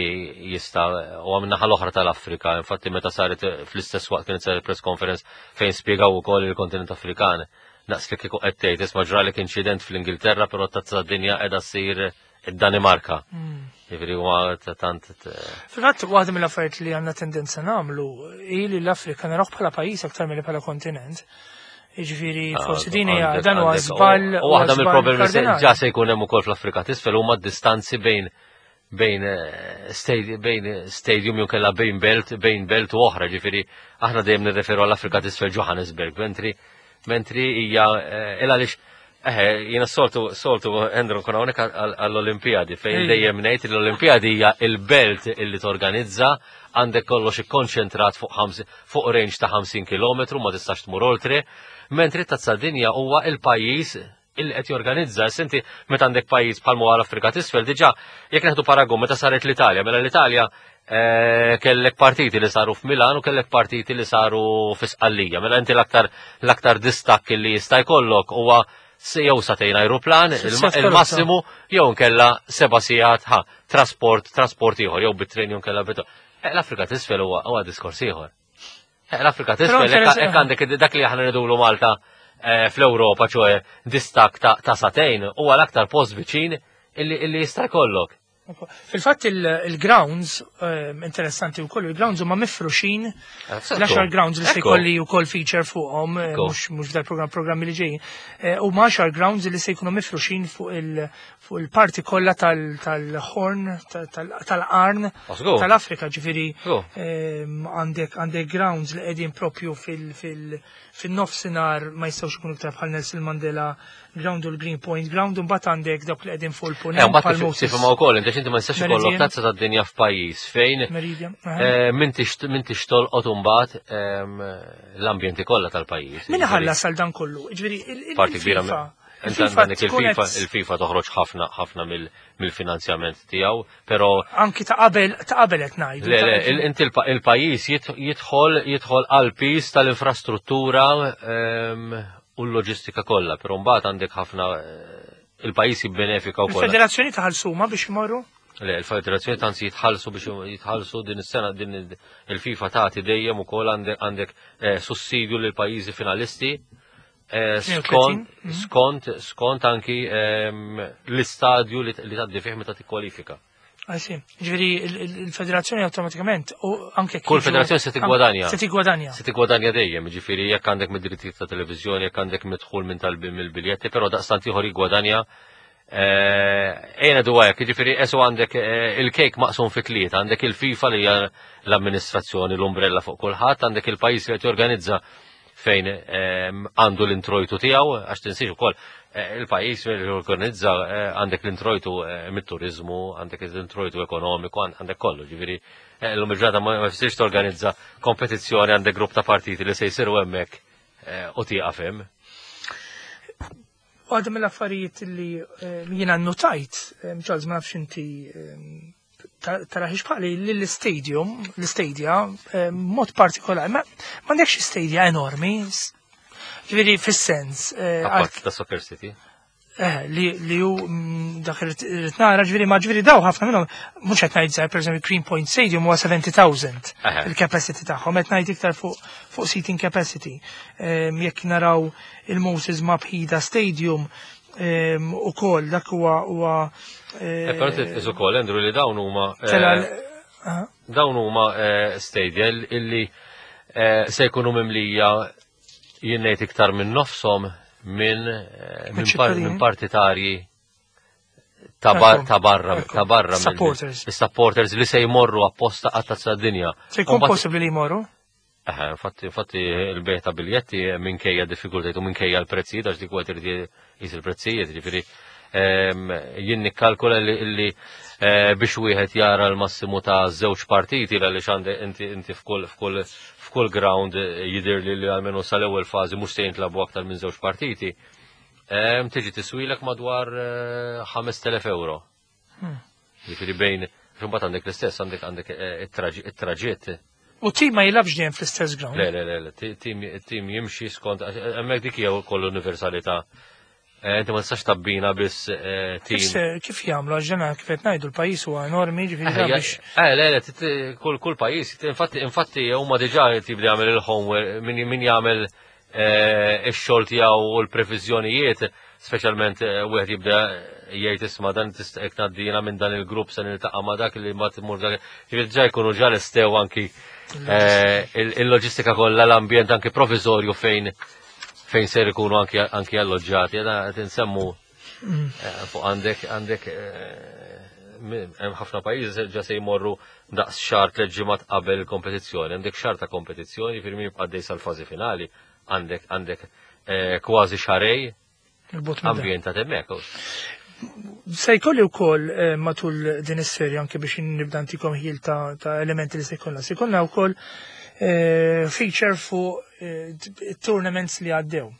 [SPEAKER 4] jista' u għam naħa l-oħra tal-Afrika, infatti meta saret fl-istess waqt kienet saret press conference fejn spjegaw ukoll il-kontinent Afrikan. Naqs li kieku qed tgħid isma' ġralek inċident fl-Ingilterra, però tazza dinja qiegħda ssir id-Danimarka. Jiġifieri huwa ta' tant
[SPEAKER 2] Fil-fatt, waħda mill-affarijiet li għandna tendenza nagħmlu hi li l-Afrika narawh bħala pajjiż aktar milli bħala kontinent. Jiġifieri forsi din hija dan huwa żball.
[SPEAKER 4] U waħda mill-problemi se ġa se jkun hemm ukoll fl-Afrika t'isfel huma d-distanzi bejn bejn eh, stadi- bejn stadium jew kellha bejn belt bejn belt u oħra, ġifieri aħna dejjem nirreferu għall-Afrika t'isfel Johannesburg, mentri mentri hija eh, il għaliex eħe, jiena soltu soltu Andrew nkun hawnhekk għall-Olimpijadi fejn
[SPEAKER 2] Ejja.
[SPEAKER 4] dejjem ngħid li l-Olimpijadi hija il-belt illi torganizza, għandek kollox ikkonċentrat fuq ħamsi- fuq range ta' ħamsin kilometru, ma tistax tmur oltre, mentri tazza dinja huwa il-pajjiż illi qed jorganizza. Senti, meta għandek pajjiż bħal huwa l-Afrika t'isfel, diġà jekk neħdu paragun meta saret l-Italja, mela l-Italja eh, kellek partiti li saru f'Milan u kellek partiti li saru fi Sqallija. Mela inti l-aktar l-aktar distakk li jista' jkollok huwa se- jew sagħtejn aeroplan,
[SPEAKER 2] Sitt
[SPEAKER 4] il-massimu, jew nkella seba' sigħat ħa trasport trasport ieħor, jew bit-tren jew nkella bit. Eh, L-Afrika t'isfel huwa huwa diskors ieħor. Eh, L-Afrika t'isfel
[SPEAKER 2] Però
[SPEAKER 4] hekk hekk għandek dak li aħna ngħidulu Malta eh, fl-Ewropa, ċoe distakk ta' ta' sagħtejn, huwa l-aktar post viċin illi illi jista' jkollok.
[SPEAKER 2] Fil-fatt il-grounds, eh, interessanti wkoll, il-grounds huma mifruxin, l-għaxar grounds li se
[SPEAKER 4] Ekku.
[SPEAKER 2] jkolli wkoll feature fuqhom, eh,
[SPEAKER 4] Ekku.
[SPEAKER 2] mhux mhux f'dal-programm, programmi li ġejjin. Eh, Huma għaxar grounds li se jkunu mifruxin fuq il fuq il-parti kollha tal- tal-Horn, tal- tal-Qarn
[SPEAKER 4] Żgur.
[SPEAKER 2] tal-Afrika, ġifieri
[SPEAKER 4] Żgur.
[SPEAKER 2] ehm, għandek għandek grounds li qegħdin propju fil- fil- fin-nofsinhar, ma jistgħux ikunu iktar, bħal Nelson Mandela Ground u l-Green Point Ground, u mbagħad għandek dawk li qegħdin fuq
[SPEAKER 4] Eh,
[SPEAKER 2] il-punent
[SPEAKER 4] mbagħad
[SPEAKER 2] bħal Moses
[SPEAKER 4] tifhimha wkoll, inti inti ma tistax ikollok
[SPEAKER 2] Meridian.
[SPEAKER 4] tazza tad-dinja f'pajjiż fejn
[SPEAKER 2] Meridian. Aha.
[SPEAKER 4] eh, m'intix m'intix tolqot imbagħad ehm, l-ambjenti kollha tal-pajjiż.
[SPEAKER 2] Min ħallas għal dan kollu? Ġifieri il- il-
[SPEAKER 4] Parti kbira
[SPEAKER 2] il-FIFA.
[SPEAKER 4] Inti
[SPEAKER 2] Il-FIFA
[SPEAKER 4] għandek
[SPEAKER 2] tkun
[SPEAKER 4] il-FIFA,
[SPEAKER 2] qed-
[SPEAKER 4] il-FIFA toħroġ ħafna ħafna mill- mill-finanzjament tiegħu, però
[SPEAKER 2] Anki ta' qabel ta' qabel qed ngħidu.
[SPEAKER 4] Le,
[SPEAKER 2] ta'
[SPEAKER 4] le, il- inti il- il-pajjiż jidħ- jidħol jidħol għal piż tal-infrastruttura ehm, u l-loġistika kollha, però mbagħad għandek ħafna eh, il-pajjiż jibbenefika wkoll.
[SPEAKER 2] Il-federazzjoni taħallsuma biex imorru?
[SPEAKER 4] Le, il-federazzjoni tanzi jitħallsu biex jitħallsu din is-sena din il-FIFA tagħti dejjem ukoll għandek għandek eh, sussidju lil pajjiżi finalisti eh, skont
[SPEAKER 2] mhm.
[SPEAKER 4] skont skont anki ehm, l-istadju li li tgħaddi fih meta tikkwalifika.
[SPEAKER 2] Għajsi, ġifieri il- il- il-federazzjoni awtomatikament u anke
[SPEAKER 4] Kull
[SPEAKER 2] jiġu-
[SPEAKER 4] federazzjoni se tiggwadanja.
[SPEAKER 2] Se tiggwadanja.
[SPEAKER 4] Se tiggwadanja dejjem, ġifieri jekk għandek mid-drittijiet ta' televiżjoni, jekk għandek midħul minn tal mill-biljetti, però daqstant ieħor jiggwadanja. Ejna du hekk, ġifieri esu għandek eh, il-kejk maqsum fi tlieta, għandek il-FIFA li hija l-amministrazzjoni, l-umbrella fuq kulħadd, għandek il-pajjiż li qed jorganizza fejn ehm, għandu l-introjtu tiegħu, għax tinsiex ukoll eh, il-pajjiż li jorganizza eh, għandek l-introjtu eh, mit-turizmu, għandek l-introjtu ekonomiku, għandek kollu, ġifieri eh, l-lum il-ġurnata ma ma jfissirx torganizza kompetizzjoni, għandek grupp ta' partiti li se jsiru hemmhekk eh, u tieqaf hemm.
[SPEAKER 2] Waħda mill-affarijiet li eh, jiena notajt, eh, Charles, ma nafx inti eh, ta- taraħiex bħali, li l-stadium, l-stadia, eh, mod partikolari, ma m'għandekx stadia enormi, s- ġifieri fis-sens, eh,
[SPEAKER 4] Apart ta' Soccer City.
[SPEAKER 2] Eh, li li ju mm, dak irrid nara, ġifieri ma ġifieri daw ħafna minnhom mhux qed ngħid żgħir, pereżempju Green Point Stadium huwa sebgħin elf
[SPEAKER 4] Eħe.
[SPEAKER 2] il-capacity tagħhom, qed ngħid iktar fuq fuq seating capacity. Em, Jekk naraw il-Moses Mabhida Stadium em, ukoll dak huwa huwa
[SPEAKER 4] Eh, Però titqis ukoll, Andrew, li dawn huma eh,
[SPEAKER 2] tela aha.
[SPEAKER 4] dawn huma eh, stadia illi eh, se jkunu mimlija, jien ngħid iktar minn nofshom minn eh, minn par-
[SPEAKER 2] ċittadini.
[SPEAKER 4] minn partitarji ta' bar-
[SPEAKER 2] Ekku,
[SPEAKER 4] ta' barra
[SPEAKER 2] ekku.
[SPEAKER 4] ta' barra mill-
[SPEAKER 2] Supporters.
[SPEAKER 4] is-supporters li se jmorru apposta għat-tazza dinja.
[SPEAKER 2] Se jkun
[SPEAKER 4] Mbagħad-
[SPEAKER 2] possibbli li jmorru?
[SPEAKER 4] Eħe, infatti, infatti il-bejgħ ta' biljetti minkejja diffikultajiet u minkejja l-prezzijiet, għax dik huwa trid jqis il-prezzijiet, ġifieri Em, Jien nikkalkula li li eh, biex wieħed jara l-massimu ta' żewġ partiti għaliex għandek inti inti f'kull f'kull f'kull ground eh, jidher li li almenu sal-ewwel fażi mhux se jintlagħbu aktar minn żewġ partiti. Em, Tiġi tiswilek madwar eh, ħamest elef euro. Ġifieri bejn, imbagħad għandek l-istess, għandek għandek eh, it-traġitt.
[SPEAKER 2] U tim ma jilgħabx dejjem fl-istess ground.
[SPEAKER 4] Le, le, le, le, ti- tim tim jimxi skont, hemmhekk dik hija wkoll universalità. Eh, Inti ma tistax tabbina biss eh, tim.
[SPEAKER 2] Kif se- Kif jagħmlu, għax ġena kif qed ngħidu, l-pajjiż huwa enormi, ġifieri da
[SPEAKER 4] Eh,
[SPEAKER 2] biex
[SPEAKER 4] Eh, le, le, tit- kull kull pajjiż, infatti infatti huma diġà tibda jagħmel il-homework, min min jagħmel eh, ix-xogħol tiegħu u l-previżjonijiet, speċjalment eh, wieħed jibda jgħid, "Isma', dan tista' jekk ngħaddina minn dan il-grupp se niltaqa' ma' dak li ma tmur dak." Ġifieri diġà jkunu ġa lestew anki eh, il- il-loġistika kollha, l-ambjent anki provviżorju fejn fejn ser ikunu anki anki alloġġati. Jeda qed insemmu eh, fuq għandek għandek eh, mi- hemm ħafna pajjiżi ġa se jmorru daqs xahar, tliet ġimgħat qabel il-kompetizzjoni. Għandek xahar ta' kompetizzjoni, firmi jibqa' għaddej sal-fażi finali, għandek għandek eh, kważi xahrejn
[SPEAKER 2] il-bot minn dan.
[SPEAKER 4] ambjentat hemmhekk.
[SPEAKER 2] Se jkolli wkoll eh, matul din is-serja, anke biex nibda ntikom ħil ta', ta' elementi li se jkollna. Se jkollna wkoll eh, feature fuq eh, tournaments li għaddew.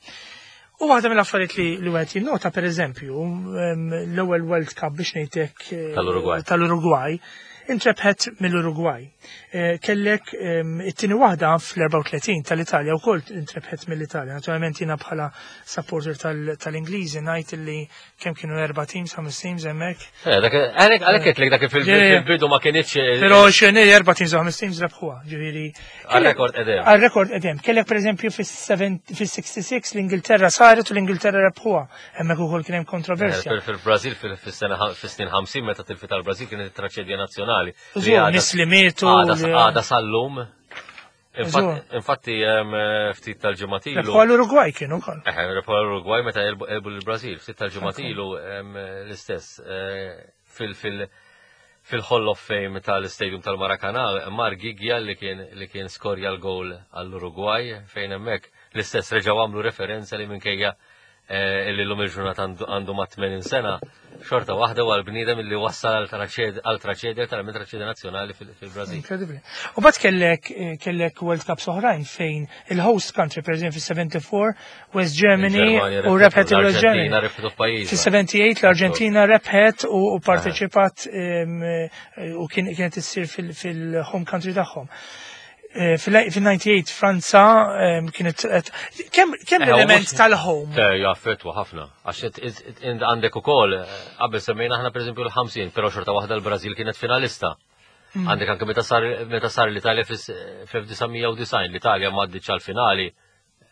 [SPEAKER 2] U waħda mill-affarijiet li li wieħed jinnota, pereżempju, em, l-ewwel World Cup, biex ngħidlek, eh,
[SPEAKER 4] Tal-Uruguay.
[SPEAKER 2] Tal-Uruguay intrebħet mill-Uruguay. Eh, Kellek em, it-tieni waħda fl-erbgħa u tletin tal-Italja wkoll intrebħet mill-Italja. Naturalment jiena bħala supporter tal- tal-Ingliżi ngħid li kemm kienu, erba' teams, ħames teams hemmhekk.
[SPEAKER 4] Eh, dak għalhekk għalhekk qedlek dak fil-
[SPEAKER 2] Ġifieri-
[SPEAKER 4] fil-bidu ma kienx eh,
[SPEAKER 2] Però xeni erba' teams u ħames teams rebħuha, ġifieri.
[SPEAKER 4] Għal-rekord edem.
[SPEAKER 2] Għal-rekord edem. Kellek pereżempju fis-sitta u sebgħin l-Ingilterra saret u l-Ingilterra rebħuha. Hemmhekk ukoll kien hemm kontroversja.
[SPEAKER 4] Fil- Fil-Brazil fil-sena fis-snin ħamsin meta tilfet tal-Brazil kienet it-traċedja nazzjonali. Li
[SPEAKER 2] Żgur,
[SPEAKER 4] għadha-
[SPEAKER 2] nies li mietu.
[SPEAKER 4] Għada
[SPEAKER 2] li-
[SPEAKER 4] għada sal-lum.
[SPEAKER 2] Żgur.
[SPEAKER 4] Infatti hemm, eh, ftit tal-ġimgħat ilu.
[SPEAKER 2] Rebħuha l-Uruguay kienu wkoll.
[SPEAKER 4] Eh, rebħu l-Uruguay meta għelbu għelbu l-Brazil, ftit tal-ġimgħat ilu em, l-istess eh, fil fil fil-Hall of Fame tal-Stadium tal-Maracana, mar Gigja li kien li kien skorja l-goal għall-Uruguay, fejn hemmhekk l-istess reġgħu għamlu referenza li minkejja eh, illi l-lum il-ġurnata għandu- għandu ma' tmenin sena, xorta waħda għal bniedem li wassal għal traċedja tal-traċedja nazzjonali fil- fil-Brazil.
[SPEAKER 2] Incredibly. U mbagħad kellek eh, kellek World Cups oħrajn fejn il-host country, per eżempju fis-sebgħa u sebgħin West Germany
[SPEAKER 4] Il-Ġermanja
[SPEAKER 2] u rebħet il-West Germany.
[SPEAKER 4] l-Arġentina rebħet f'pajjiżha.
[SPEAKER 2] Fis-sebgħa u tmenin l-Arġentina rebħet u u parteċipat em, eh, u kien kienet issir fil- fil-home country tagħhom. Eh, Fil-disgħa u disgħin Franza em, kienet qed- kemm kemm
[SPEAKER 4] Eh, u
[SPEAKER 2] l-element
[SPEAKER 4] mhux-
[SPEAKER 2] tal-home.
[SPEAKER 4] Te, jaffettwa ħafna. Għax it- it- it- int għandek ukoll, eh, qabel semmejna aħna pereżempju l-ħamsin, però xorta waħda l-Brażil kienet finalista. Għandek anke meta sar meta sar l-Italja fis-elf disa' mija u disgħin, l-Italja m'għaddietx għal-finali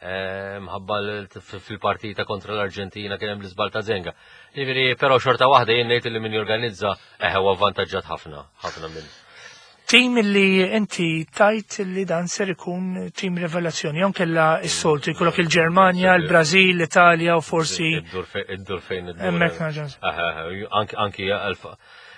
[SPEAKER 4] eh, mħabba l- fil-partita kontra l-Arġentina kien hemm l-iżbal ta' Zenga. Ġifieri, però xorta waħda jien ngħid li min jorganizza eh huwa avvantaġġat ħafna, ħafna minn.
[SPEAKER 2] Tim li inti tajt li dan ser ikun tim revelazzjoni, jon kella s-soltu jkollok il-Ġermanja, il-Brażil, l-Italja u forsi
[SPEAKER 4] Iddur fejn iddur fejn iddur.
[SPEAKER 2] hemmhekk naġan.
[SPEAKER 4] Aha, Anki anki għalf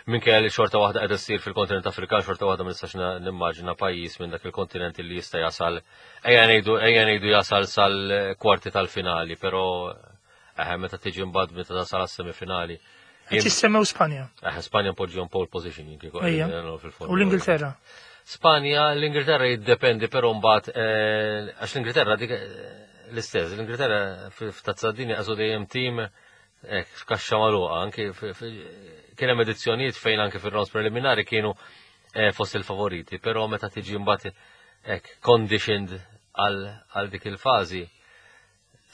[SPEAKER 4] minkejja li xorta waħda qed issir fil-kontinent Afrikan, xorta waħda ma nistax na- nimmaġina pajjiż minn dak il-kontinent li jista' jasal, ejja ngħidu ejja ngħidu jasal sal-kwarti tal-finali, però eh meta tiġi mbagħad meta tasal għas-semifinali.
[SPEAKER 2] Qed jissemmew Spanja
[SPEAKER 4] Eh, Spanja poġġihom pole position jien kieku
[SPEAKER 2] Ejja.
[SPEAKER 4] qegħdin fil-Formula
[SPEAKER 2] u l-Ingilterra.
[SPEAKER 4] Spanja, l-Ingilterra jiddependi, però mbagħad eh, għax l-Ingilterra dik eh, l-istess, l-Ingilterra f'tazza dinja għażu dejjem tim eh, f'kaxxa magħluqa, anki fi- fi- kien hemm edizzjonijiet fejn anke fir-rounds preliminari kienu eh, fost il-favoriti, però meta tiġi mbagħad hekk conditioned għal għal dik il-fażi,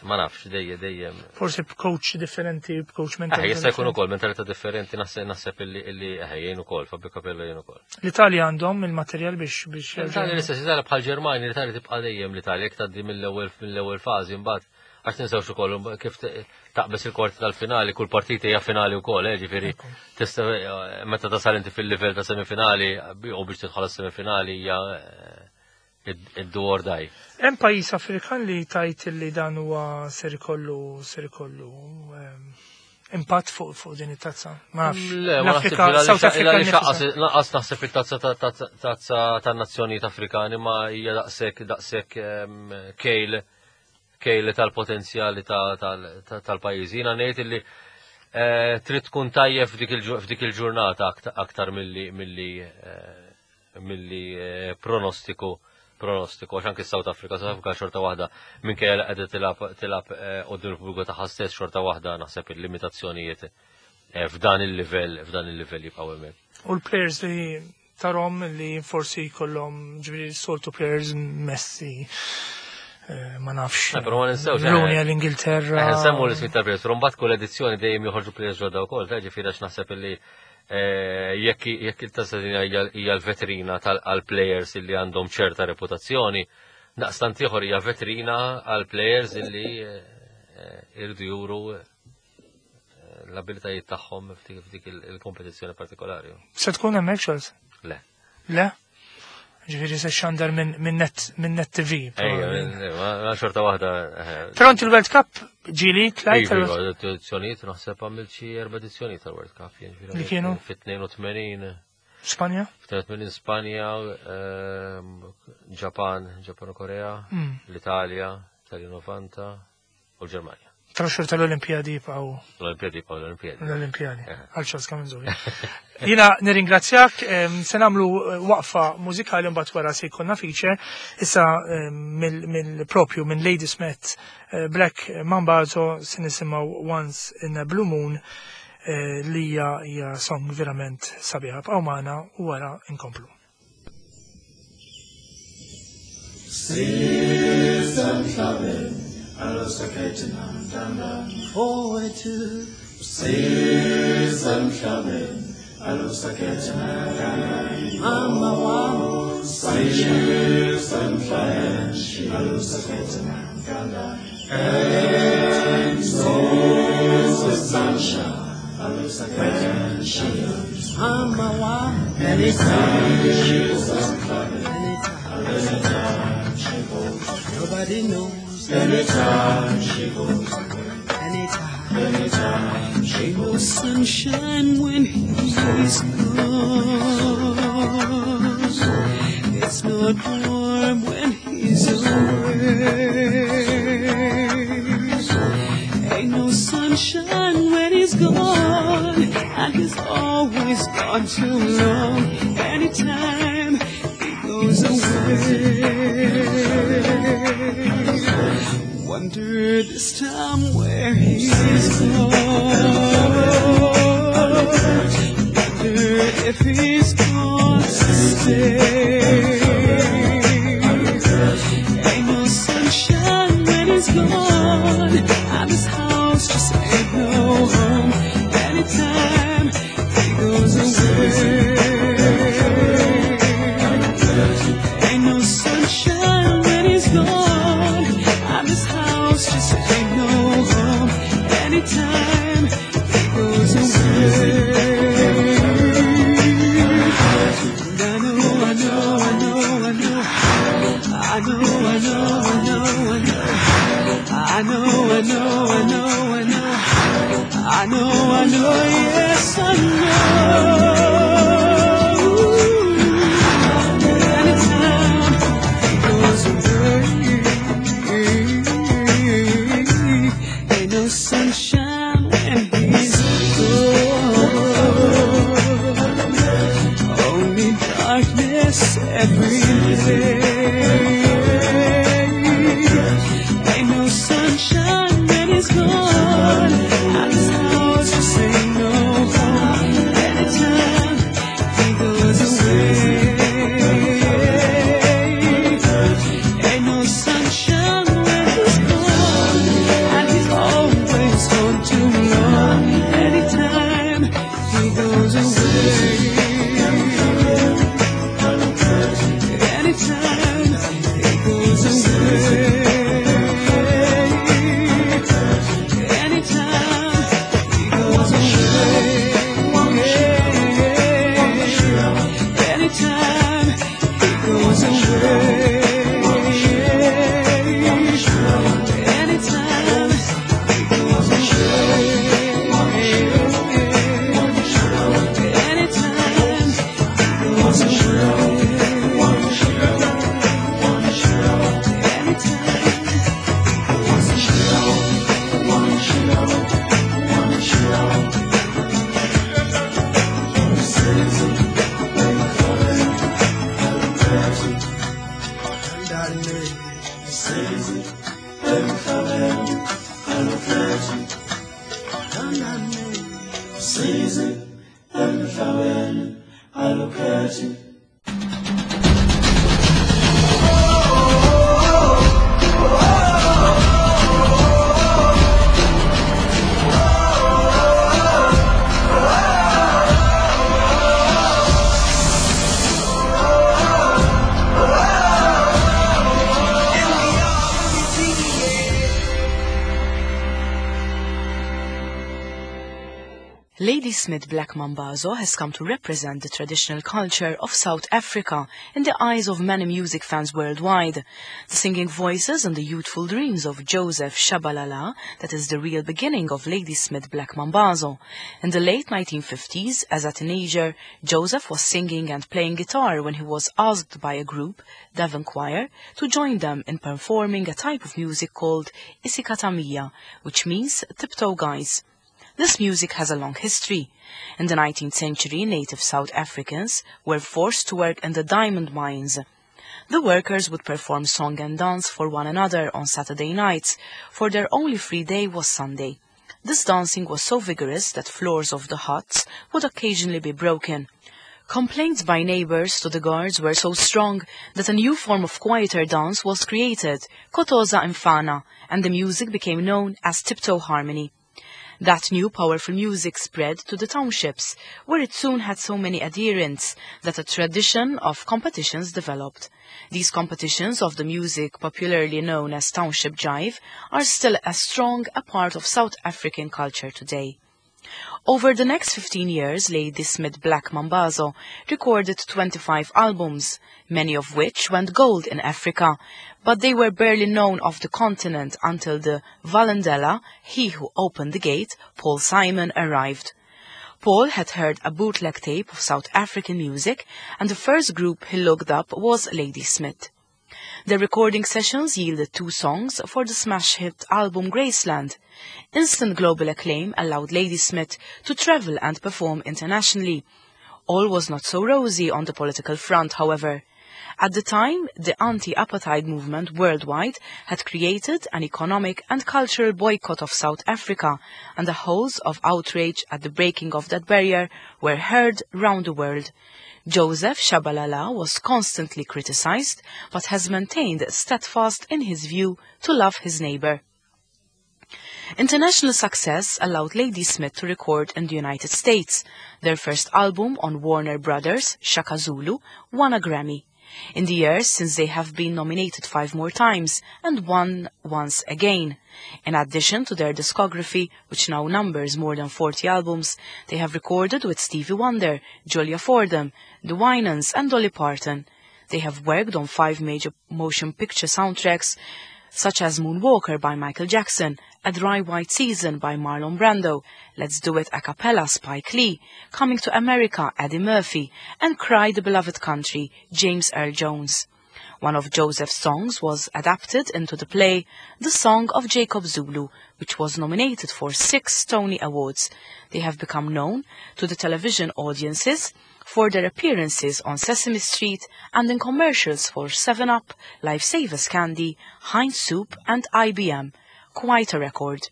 [SPEAKER 4] ma nafx, dejjem dejjem.
[SPEAKER 2] Forsi b'coach differenti, b'coach
[SPEAKER 4] Eh,
[SPEAKER 2] mentali.
[SPEAKER 4] jista' jkun ukoll mentalità differenti, naħseb naħseb illi illi eh, jgħin ukoll, Fabio Capello jgħin ukoll.
[SPEAKER 2] L-Italja għandhom il-materjal biex biex
[SPEAKER 4] L-Italja l-istess, l-Italja bħal Ġermanja, l-Italja tibqa' dejjem l-Italja, jekk tgħaddi mill-ewwel mill-ewwel fażi mbagħad, għax tinsewx ukoll kif t- taqbeż il-kwarti tal-finali, kull partita hija finali wkoll, eh, ġifieri tista' meta tasal inti fil-livell ta' semifinali u biex tidħol għas-semifinali hija eh, id-do or die.
[SPEAKER 2] Hemm pajjiż Afrikan li tajt li dan huwa ser ikollu ser ikollu ehm, impatt fuq fuq din it-tazza. Ma nafx.
[SPEAKER 4] Le, ma
[SPEAKER 2] L-Afrika,
[SPEAKER 4] naħsibx
[SPEAKER 2] South Africa
[SPEAKER 4] għaliex
[SPEAKER 2] nifisha.
[SPEAKER 4] lanqas naħseb il-tazza ta- ta- tazza tan-nazzjonijiet Afrikani ma hija daqshekk daqshekk ehm, kejl kejl tal-potenzjali ta- tal- ta- tal-pajjiż. Jiena ngħid illi eh, trid tkun tajjeb f'dik il-ġu- f'dik il-ġurnata akta- aktar milli milli eh, milli eh, pronostiku pronostiku, għax anki South Africa, South Africa xorta waħda minkejja li qiegħda tilgħab tilgħab eh, quddiem il-pubbliku tagħha stess, xorta waħda naħseb il-limitazzjonijiet eh, f'dan il-livell f'dan il-livell jibqgħu hemmhekk.
[SPEAKER 2] U l-players li tarahom li forsi kollhom, ġifieri soltu players, Messi, eh, ma nafx.
[SPEAKER 4] Eh, però ma ninsewx, eh,
[SPEAKER 2] Rooney għall-Ingilterra.
[SPEAKER 4] Eh, Nsemmu l-ismi tal-players, però mbagħad kull edizzjoni dejjem joħorġu players ġodda wkoll, ta' ġifieri għax naħseb illi eh, jekk jekk il-tazza hija hija l-vetrina tal-players illi għandhom ċerta reputazzjoni, daqstant ieħor hija vetrina għal players illi eh, eh, irdu juru eh, l-abilitajiet tagħhom f'dik f'dik il- il-kompetizzjoni partikolari.
[SPEAKER 2] Se tkun hemmhekk, Charles?
[SPEAKER 4] Le.
[SPEAKER 2] Le? Ġifieri se xandar minn minn net minn Net T V.
[SPEAKER 4] Ejja, ma ma xorta waħda. eh,
[SPEAKER 2] Però inti l-World Cup ġieli tlajt?
[SPEAKER 4] Iva,
[SPEAKER 2] tal-
[SPEAKER 4] iva, edizzjonijiet, naħseb għamilt xi erba' edizzjonijiet tal-World Cup. Jien, ġifieri
[SPEAKER 2] Li kienu?
[SPEAKER 4] Fit-tnejn u tmenin,
[SPEAKER 2] Spanja?
[SPEAKER 4] fit-tnejn u tmenin Spanja, ehm, Ġapan, Ġapan u Korea,
[SPEAKER 2] Mm.
[SPEAKER 4] l-Italja, Italja novanta u l-Ġermanja.
[SPEAKER 2] Però xorta l-Olimpijadi jibqgħu
[SPEAKER 4] L-Olimpijadi jibqgħu l-Olimpijadi.
[SPEAKER 2] L-Olimpijadi.
[SPEAKER 4] Eh.
[SPEAKER 2] Għal Charles Camenzuli. Jiena nirringrazzjak, em, se nagħmlu eh, waqfa mużikali, mbagħad wara se jkollna feature. Issa em, mill- mill-propju minn Ladysmith eh, Black Mambazo se nisimgħu Once in a Blue Moon, eh, li hija hija song verament sabiħa. Bqgħu magħna u wara inkomplu.
[SPEAKER 3] Sisemhlabeni mfowethu, sisemhlabeni mama wami, sisemhlabeni and so sunshine mama wami. Anytime she goes, anytime, she goes, nobody knows. Anytime she goes, anytime, anytime she
[SPEAKER 1] No
[SPEAKER 3] goes.
[SPEAKER 1] Sunshine when he's gone. It's not warm when he's away. Ain't no sunshine when he's gone, and he's always gone too long. Anytime he goes away. Wonder this time where he's gone. Wonder if he's gone to stay. Ain't no sunshine when he's gone, and this house just ain't no home. Anytime he goes away. Ain't no sunshine when he's gone, and this house just ain't no home. Anytime he goes away. And I know, I know, I know, I know. I know, I know, I know, I know. I know, I know, I know, I know. I know, I know, yes, I know. Anytime he goes away, ain't no sunshine when he's gone. Only darkness every day. Ain't no sunshine when he's gone. And this house just ain't no home. Anytime
[SPEAKER 3] Emhlabeni alukhethi. Usizi emhlabeni alukhethi.
[SPEAKER 5] Ladysmith Black Mambazo has come to represent the traditional culture of South Africa in the eyes of many music fans worldwide. The singing voices and the youthful dreams of Joseph Shabalala, that is the real beginning of Ladysmith Black Mambazo. In the late nineteen fifties, as a teenager, Joseph was singing and playing guitar when he was asked by a group, Devon Choir, to join them in performing a type of music called Isicathamiya, which means tiptoe guys. This music has a long history. In the nineteenth century, native South Africans were forced to work in the diamond mines. The workers would perform song and dance for one another on Saturday nights, for their only free day was Sunday. This dancing was so vigorous that floors of the huts would occasionally be broken. Complaints by neighbors to the guards were so strong that a new form of quieter dance was created, Kotoza Mfana, and the music became known as tiptoe harmony. That new powerful music spread to the townships, where it soon had so many adherents that a tradition of competitions developed. These competitions of the music popularly known as township jive are still as strong a part of South African culture today. Over the next fifteen years, Ladysmith Black Mambazo recorded twenty-five albums, many of which went gold in Africa, but they were barely known off the continent until the Vulindlela, he who opened the gate, Paul Simon, arrived. Paul had heard a bootleg tape of South African music, and the first group he looked up was Ladysmith. The recording sessions yielded two songs for the smash hit album Graceland. Instant global acclaim allowed Ladysmith to travel and perform internationally. All was not so rosy on the political front, however. At the time, the anti-apartheid movement worldwide had created an economic and cultural boycott of South Africa, and the howls of outrage at the breaking of that barrier were heard round the world. Joseph Shabalala was constantly criticized, but has maintained steadfast in his view to love his neighbor. International success allowed Ladysmith to record in the United States. Their first album on Warner Brothers, Shaka Zulu, won a Grammy. In the years since, they have been nominated five more times and won once again. In addition to their discography, which now numbers more than forty albums, they have recorded with Stevie Wonder, Julia Fordham, The Winans and Dolly Parton. They have worked on five major motion picture soundtracks, such as Moonwalker by Michael Jackson, A Dry White Season by Marlon Brando, Let's Do It a Cappella Spike Lee, Coming to America Eddie Murphy, and Cry the Beloved Country James Earl Jones. One of Joseph's songs was adapted into the play The Song of Jacob Zulu, which was nominated for six Tony Awards. They have become known to the television audiences for their appearances on Sesame Street and in commercials for seven up, Lifesavers Candy, Heinz Soup and I B M. Quite a record.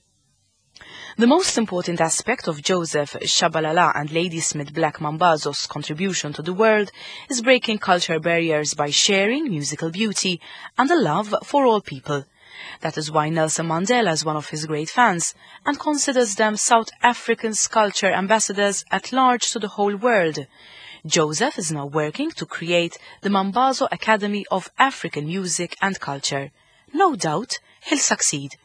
[SPEAKER 5] The most important aspect of Joseph Shabalala and Ladysmith Black Mambazo's contribution to the world is breaking culture barriers by sharing musical beauty and a love for all people. That is why Nelson Mandela is one of his great fans and considers them South African's culture ambassadors at large to the whole world. Joseph is now working to create the Mambazo Academy of African Music and Culture. No doubt he'll succeed.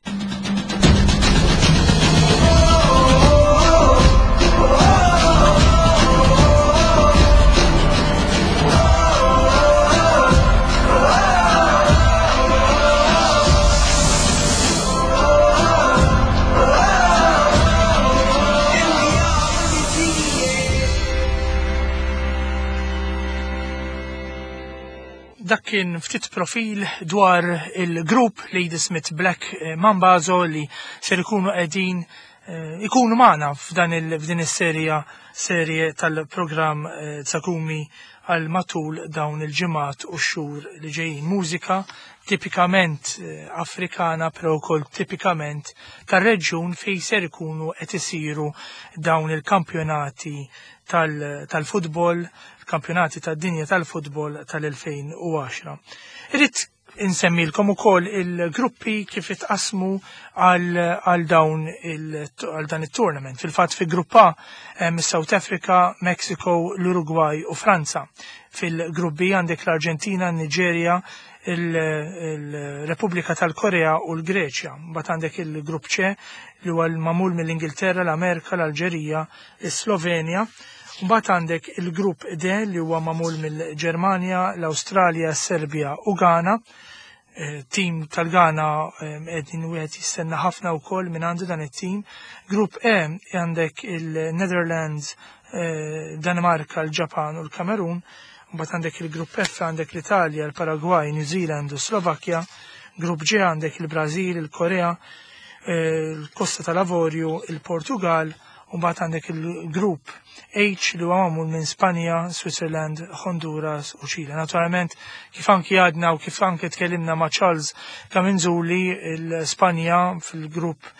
[SPEAKER 2] Dak kien ftit profil dwar il-grupp Ladysmith Black Mambazo li ser ikunu qegħdin, eh, ikunu magħna f'dan il-, f'din is-serja, serje tal-programm, eh, Tsakumi għal matul dawn il-ġimgħat u x-xhur li ġejjin. Mużika tipikament eh, Afrikana, però wkoll tipikament tar-reġjun fejn ser ikunu qed isiru dawn il-kampjonati tal-futbol, kampjonati tad-dinja tal-futbol tal-elfejn u għaxra. Irrid insemmilkom ukoll il-gruppi kif itqasmu għal dawn għal dan it-tournament. Fil-fatt, fi Grupp A hemm South Africa, Mexico, l-Uruguay u Franza. Fil-Grupp B għandek l-Arġentina, Nigeria, il-Repubblika tal-Korea u l-Greċja. Mbagħad għandek il-Grupp C li huwa l-magħmul mill-Ingilterra, l-Amerika, l-Alġerija, is-Slovenja. Mbagħad għandek il-Grupp D li huwa magħmul mill-Ġermanja, l-Awstralja, Serbja u Ghana. Eh, tim tal-Ghana qegħdin wieħed jistenna ħafna wkoll minn għandu dan it-tim. Grupp E għandek il-Netherlands, eh, Danimarka, l-Ġapan u l-Kamerun. Mbagħad għandek il-Grupp F, għandek l-Italja, l-Paraguay, New Zealand u Slovakkja. Grupp G għandek il-Brażil, il-Korea, eh, l-Kosta tal-Avorju, il-Portugal, u mbagħad għandek il-Grupp H li huwa magħmul minn Spanja, Switzerland, Honduras u Ċile. Naturalment, kif anki għadna u kif anki tkellimna ma' Charles Kaminzuli, il-Spanja fil-grupp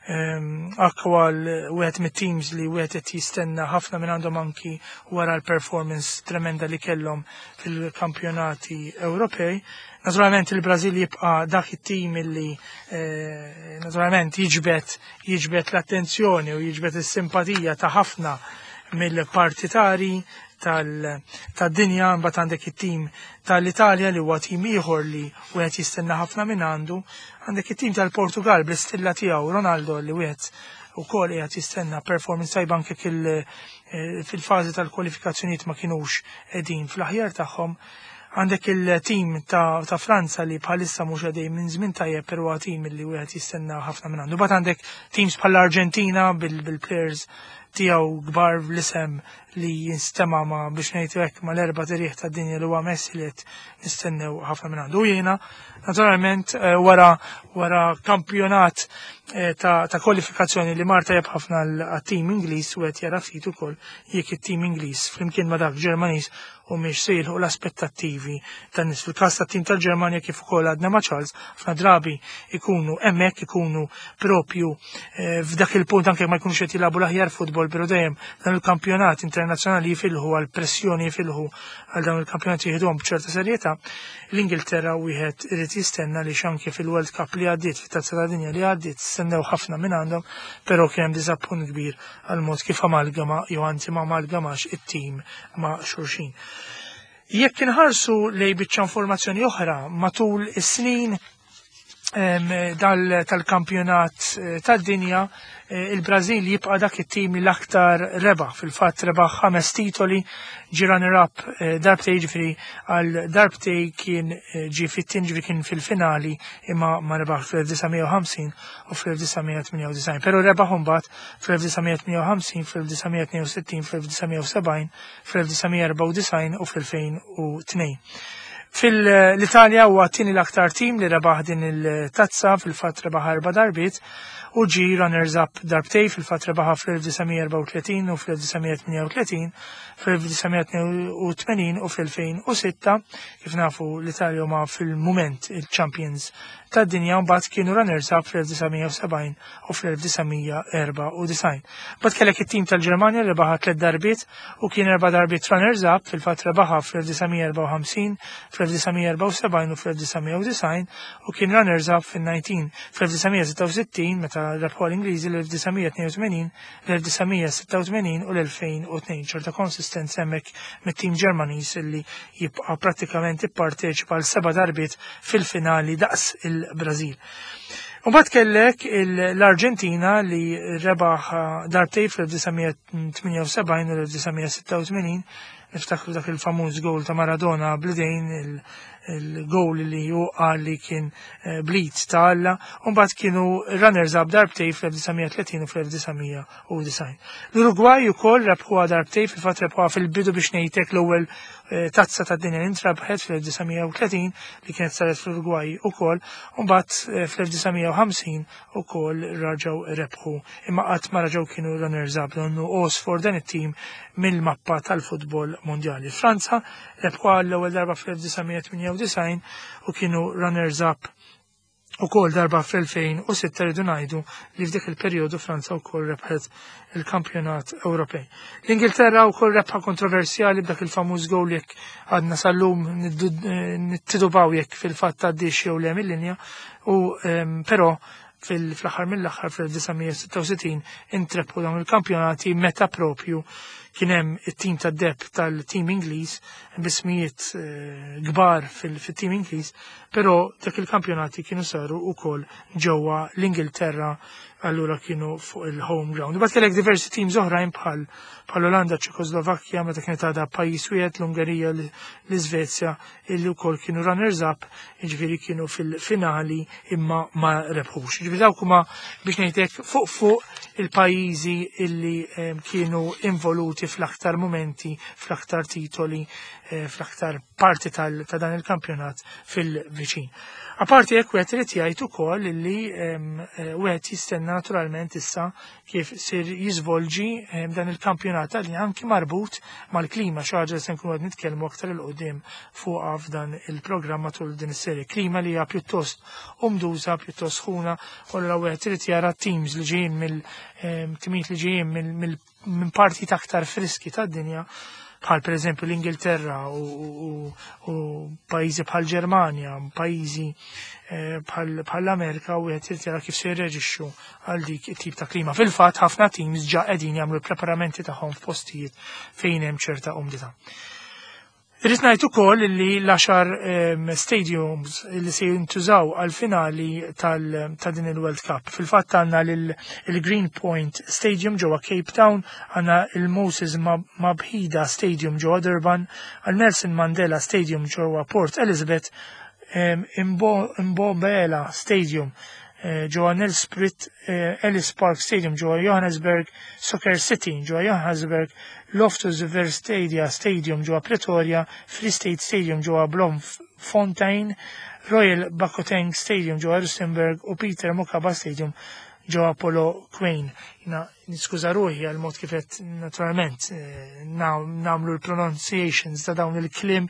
[SPEAKER 2] H wieħed mit-teams li wieħed qed jistenna ħafna minn għandhom anki wara l-performance tremenda li kellhom fil-kampjonati Ewropej. Naturalment, il-Brażil jibqa' dak it-tim li eh, naturalment jiġbed jiġbed l-attenzjoni u jiġbed is-simpatija ta' ħafna mill-partitari tad-dinja. Mbagħad għandek it-tim tal-Italja li huwa tim ieħor li wieħed jistenna ħafna minn għandu. Għandek it-tim tal-Portugal bl-istilla tiegħu Ronaldo li wieħed ukoll qiegħed jistenna performance tajba anke eh, fil-fażi tal-kwalifikazzjonijiet ma kinux qegħdin fl-aħjar tagħhom. Għandek il-tim ta', ta Franza li bħalissa mhux għaddej minn żmien tajjeb, però tim li wieħed jistenna ħafna minn għandu. Mbagħad għandek teams bħall-Arġentina bil-players tiegħu kbar, l-isem li jinstema ma biex ngħidu hekk ma l-erba' tirjieħ tad-dinja li huwa Messi li qed nistennew ħafna minn għandu. Jiena naturalment eh, wara wara kampjonat eh, ta', ta' kwalifikazzjoni li mar tajjeb ħafna għat-tim Ingliż, u qed jara ftit ukoll jekk it-tim Ingliż flimkien ma' dak Ġermaniż u mhix se jilħu l-aspettattivi tan-nies. Fil-każ tat-tim tal-Ġermanja, kif ukoll għadna ma' Charles, ħafna drabi ikunu hemmhekk, ikunu propju eh, f'dak il-punt anke ma jkunux qed jilagħbu l-aħjar futbol, però dejjem dan il-kampjonat internazzjonali jifilħu għal pressjoni, jifilħu għal dawn il-kampjonat, jieħduhom b'ċerta serjetà. L-Ingilterra wieħed irid jistenna li anke fil-World Cup li għaddiet, fit-Tazza ta' Dinja li għaddiet, stennew ħafna minn għandhom, però kien hemm diżappunt kbir għal mod kif amalgama jew anzi ma amalgamax it-tim ma' xulxin. Jekk inħarsu lej biċċa informazzjoni oħra matul is-snin tal-kampjonat eh, tad-dinja, eh, il-Brazil jibqa' dak it-tim li l-aktar rebaħ. Fil-fatt, rebaħ ħames titoli, ġie runner-up eh, darbtej, ġifieri għal darbtej kien ġi fit-tin, ġifieri kien fil-finali imma ma rebaħ fl-elf disa' mija u ħamsin u fl-elf disa' mija tmienja u disgħin. Però rebaħ mbagħad fl-elf disa' mija tmienja u ħamsin, fl-elf disa' mija tnejn u sittin, fl-elf disa' mija sebgħin, fl-elf disa' mija erbgħa u disgħin u fl-elfejn u tnejn. Fil-Italja huwa tieni l-aktar tim li rebaħ din il-tazza, fil-fatt rebaħ erba' darbiet u ġi runners up darbtej. Fil-fatt, rebaħa fl-elf disa' mija erbgħa u tletin u fl-elf disa' mija tmienja u tletin, fl-elf disa' mija tnejn u tmenin u fl-elfejn u sitta. Kif nafu, l-Italja huma fil-moment il-champions tad-dinja. Mbagħad kienu runners up fl-elf disa' mija sebgħin u fl-elf disa' mija erbgħa u disgħin. Mbagħad kellek it-tim tal-Ġermanja li rebaħa tliet darbiet u kien erba' darbiet runners up. Fil-fatt, rebaħa fl-elf disa' mija erbgħa u ħamsin, fl-elf disa' mija erbgħa u sebgħin u fl-elf disa' mija disgħin u kien runners up fil-nineteen fl-elf disa' mija sitta u sittin meta rebħu l-Ingliżi, l-elf disa' mija tnejn u tmenin, l-elf disa' mija sitta u tmenin u l-elfejn u tnejn. Ċerta konsistenza hemmhekk mit-tim Ġermaniż illi jibqa' prattikament ipparteċipa għal seba' darbiet fil-finali daqs il-Brażil. U mbagħad kellek l-Arġentina li rebaħ darbtej fl-elf disa' mija tmienja u sebgħin u l-elf disa' mija sitta u tmenin. Niftakru dak il-famuż gol ta' Maradona bl-idejn. il-goal li hu qal li kien eh, bl-id ta' Alla, u mbagħad kienu runners up darbtejn fl-elf disa' mija tletin u fl-elf disa' mija u disgħin. L-Uruguay ukoll rebħuha darbtejn, fil-fatt rebħuha fil-bidu biex ngħidlek l-ewwel eh, tazza tad-dinja li ntrebħet fl-elf disa' mija tletin li kienet saret fl-Uruguay ukoll, u mbagħad eh, fl-elf disa' mija ħamsin ukoll raġgħu rebħu. Imma qatt ma raġgħu kienu runners up, donnu għosfor dan it-tim mill-mappa tal-futbol mondjali. Franza rebħuha l-ewwel darba fl-elf disa' mija tmienja u disgħin u kienu runners up ukoll darba fl-elfejn u sitta. Rridu ngħidu li f'dik il-perjodu Franza wkoll rebħet il-kampjonat Ewropej. L-Ingilterra wkoll rebħa kontroversjali b'dak il-famuż goal jekk għadna sal-lum nittidubaw jekk fil-fatt għaddiex jew le mill-linja u em, però fil-aħħar mill-aħħar fl-elf disa' mija sitta u sittin intrebħu dawn il-kampjonati meta propju kien hemm it-tim tad-deheb tal-tim Ingliż b'ismijiet eh, kbar fil-tim Ingliż, però dak il-kampjonati kienu saru wkoll ġewwa l-Ingilterra, allura kienu fuq il-home ground. Bat kellek diversi teams oħrajn bħal bħal Olanda, Ċekoslovakkja, meta kienet għadha pajjiż wieħed, l-Ungerija, l-Iżvezja, illi wkoll kienu runners up, jiġifieri kienu fil-finali imma ma rebħux. Jiġifieri dawk huma biex ngħidlek fuq fuq il-pajjiżi illi em, kienu involuti fl-aktar momenti, fl-aktar titoli, eh, fl-aktar parti tal- ta' dan il-kampjonat fil-viċin. Aparti hekk wieħed irid jgħid ukoll illi em, eh, wieħed jistenna naturalment issa kif sir jiżvolġi em, dan il-kampjonat li anki marbut mal-klima, xi ħaġa li se nkunu qed nitkellmu aktar 'il quddiem fuqha f'dan il-programm matul din is-serje. Klima li hija pjuttost umduża, pjuttost sħuna, u allura wieħed irid jara teams li ġejjin mill em, timijiet li ġejjin mill mill- minn parti aktar friski tad-dinja bħal per eżempju l-Ingilterra u, u, u pajjiżi bħal Ġermanja, pajjiżi eh, bħal bħal l-Amerika u wieħed irid jara kif se jirreġixxu għal dik it-tip ta' klima. Fil-fatt ħafna teams ġa qegħdin jagħmlu l-preparamenti tagħhom f'postijiet fejn hemm ċerta umdità. Irrid ngħid ukoll li l-għaxar em, stadiums li se jintużaw għal-finali tal- ta' din il-World Cup. Fil-fatt għandna il-Green Point Stadium ġewwa Cape Town, għandna il-Moses Mabhida Stadium ġewwa Durban, għal Nelson Mandela Stadium ġewwa Port Elizabeth, em, Imbo- Mbombela Stadium eh, ġewwa Nelspruit, eh, Ellis Park Stadium ġewwa Johannesburg, Soccer City ġewwa Johannesburg, Loftus Versstadia Stadium ġewwa Pretoria, Free State Stadium ġewwa Bloemfontein, Royal Bafokeng Stadium ġewwa Rustenburg u Peter Mokaba Stadium ġewwa Polokwane. Jiena niskuża ruħi għal mod kif qed naturalment eh, nagħmlu l-pronunciations ta' dawn il-kliem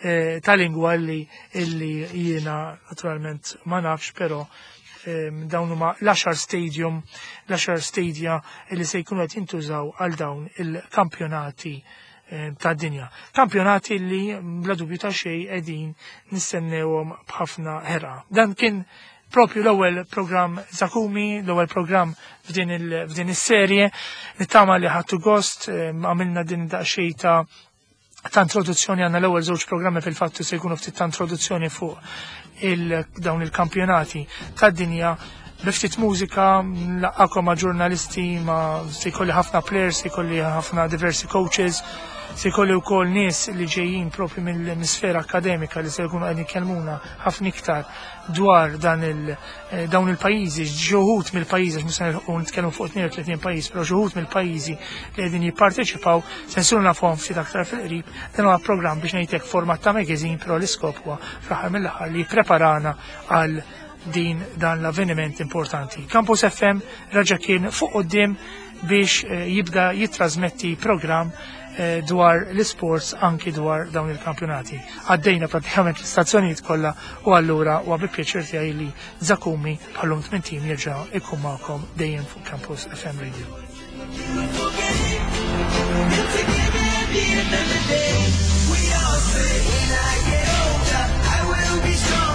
[SPEAKER 2] eh, ta' lingwa li illi jiena naturalment ma nafx, però em, dawn huma l-għaxar stadium, l-għaxar stadia li se jkunu qed jintużaw għal dawn il-kampjonati em, ta' dinja. Kampjonati li bla dubju ta' xejn qegħdin nistennewhom b'ħafna ħerqa. Dan kien propju l-ewwel programm Zakumi, l-ewwel programm f'din il- f'din is-serje. Nittama li ħadtu gost, em, għamilna din daqsxejn ta' ta' introduzzjoni. Għandna l-ewwel żewġ programmi fil-fattu se jkunu ftit ta' introduzzjoni fuq il dawn il-kampjonati tad-dinja b'ftit mużika, nlaqqagħkom ma' ġurnalisti, ma se jkolli ħafna players, se jkolli ħafna diversi coaches, se jkolli wkoll nies li ġejjin propju mill-sfera akademika li se jkunu qegħdin jkellmuna ħafna iktar dwar dan il eh, dawn il-pajjiżi, xi wħud mill-pajjiżi, għax mhux se nilħqu nitkellmu fuq tnejn u tletin pajjiż, però xi wħud mill-pajjiżi li qegħdin jipparteċipaw se nsiru nafuhom ftit aktar fil-qrib. Dan huwa programm biex ngħidlek format ta' magazine, però l-iskop huwa fl-aħħar mill-aħħar li jippreparana għal din dan l-avveniment importanti. Campus F M raġa kien fuq quddiem biex eh, jibda jitrasmetti program eh, dwar l-sports anki dwar dawn il-kampjonati. Għaddejna pratikament l-istazzjonijiet kollha u allura huwa bi pjaċir tiegħi li Zakumi bħallum tmien tim jerġa' ikun magħkom dejjem fuq Campus F M Radio.
[SPEAKER 1] Together at the end of the day, we all say, when I get older, I will be strong.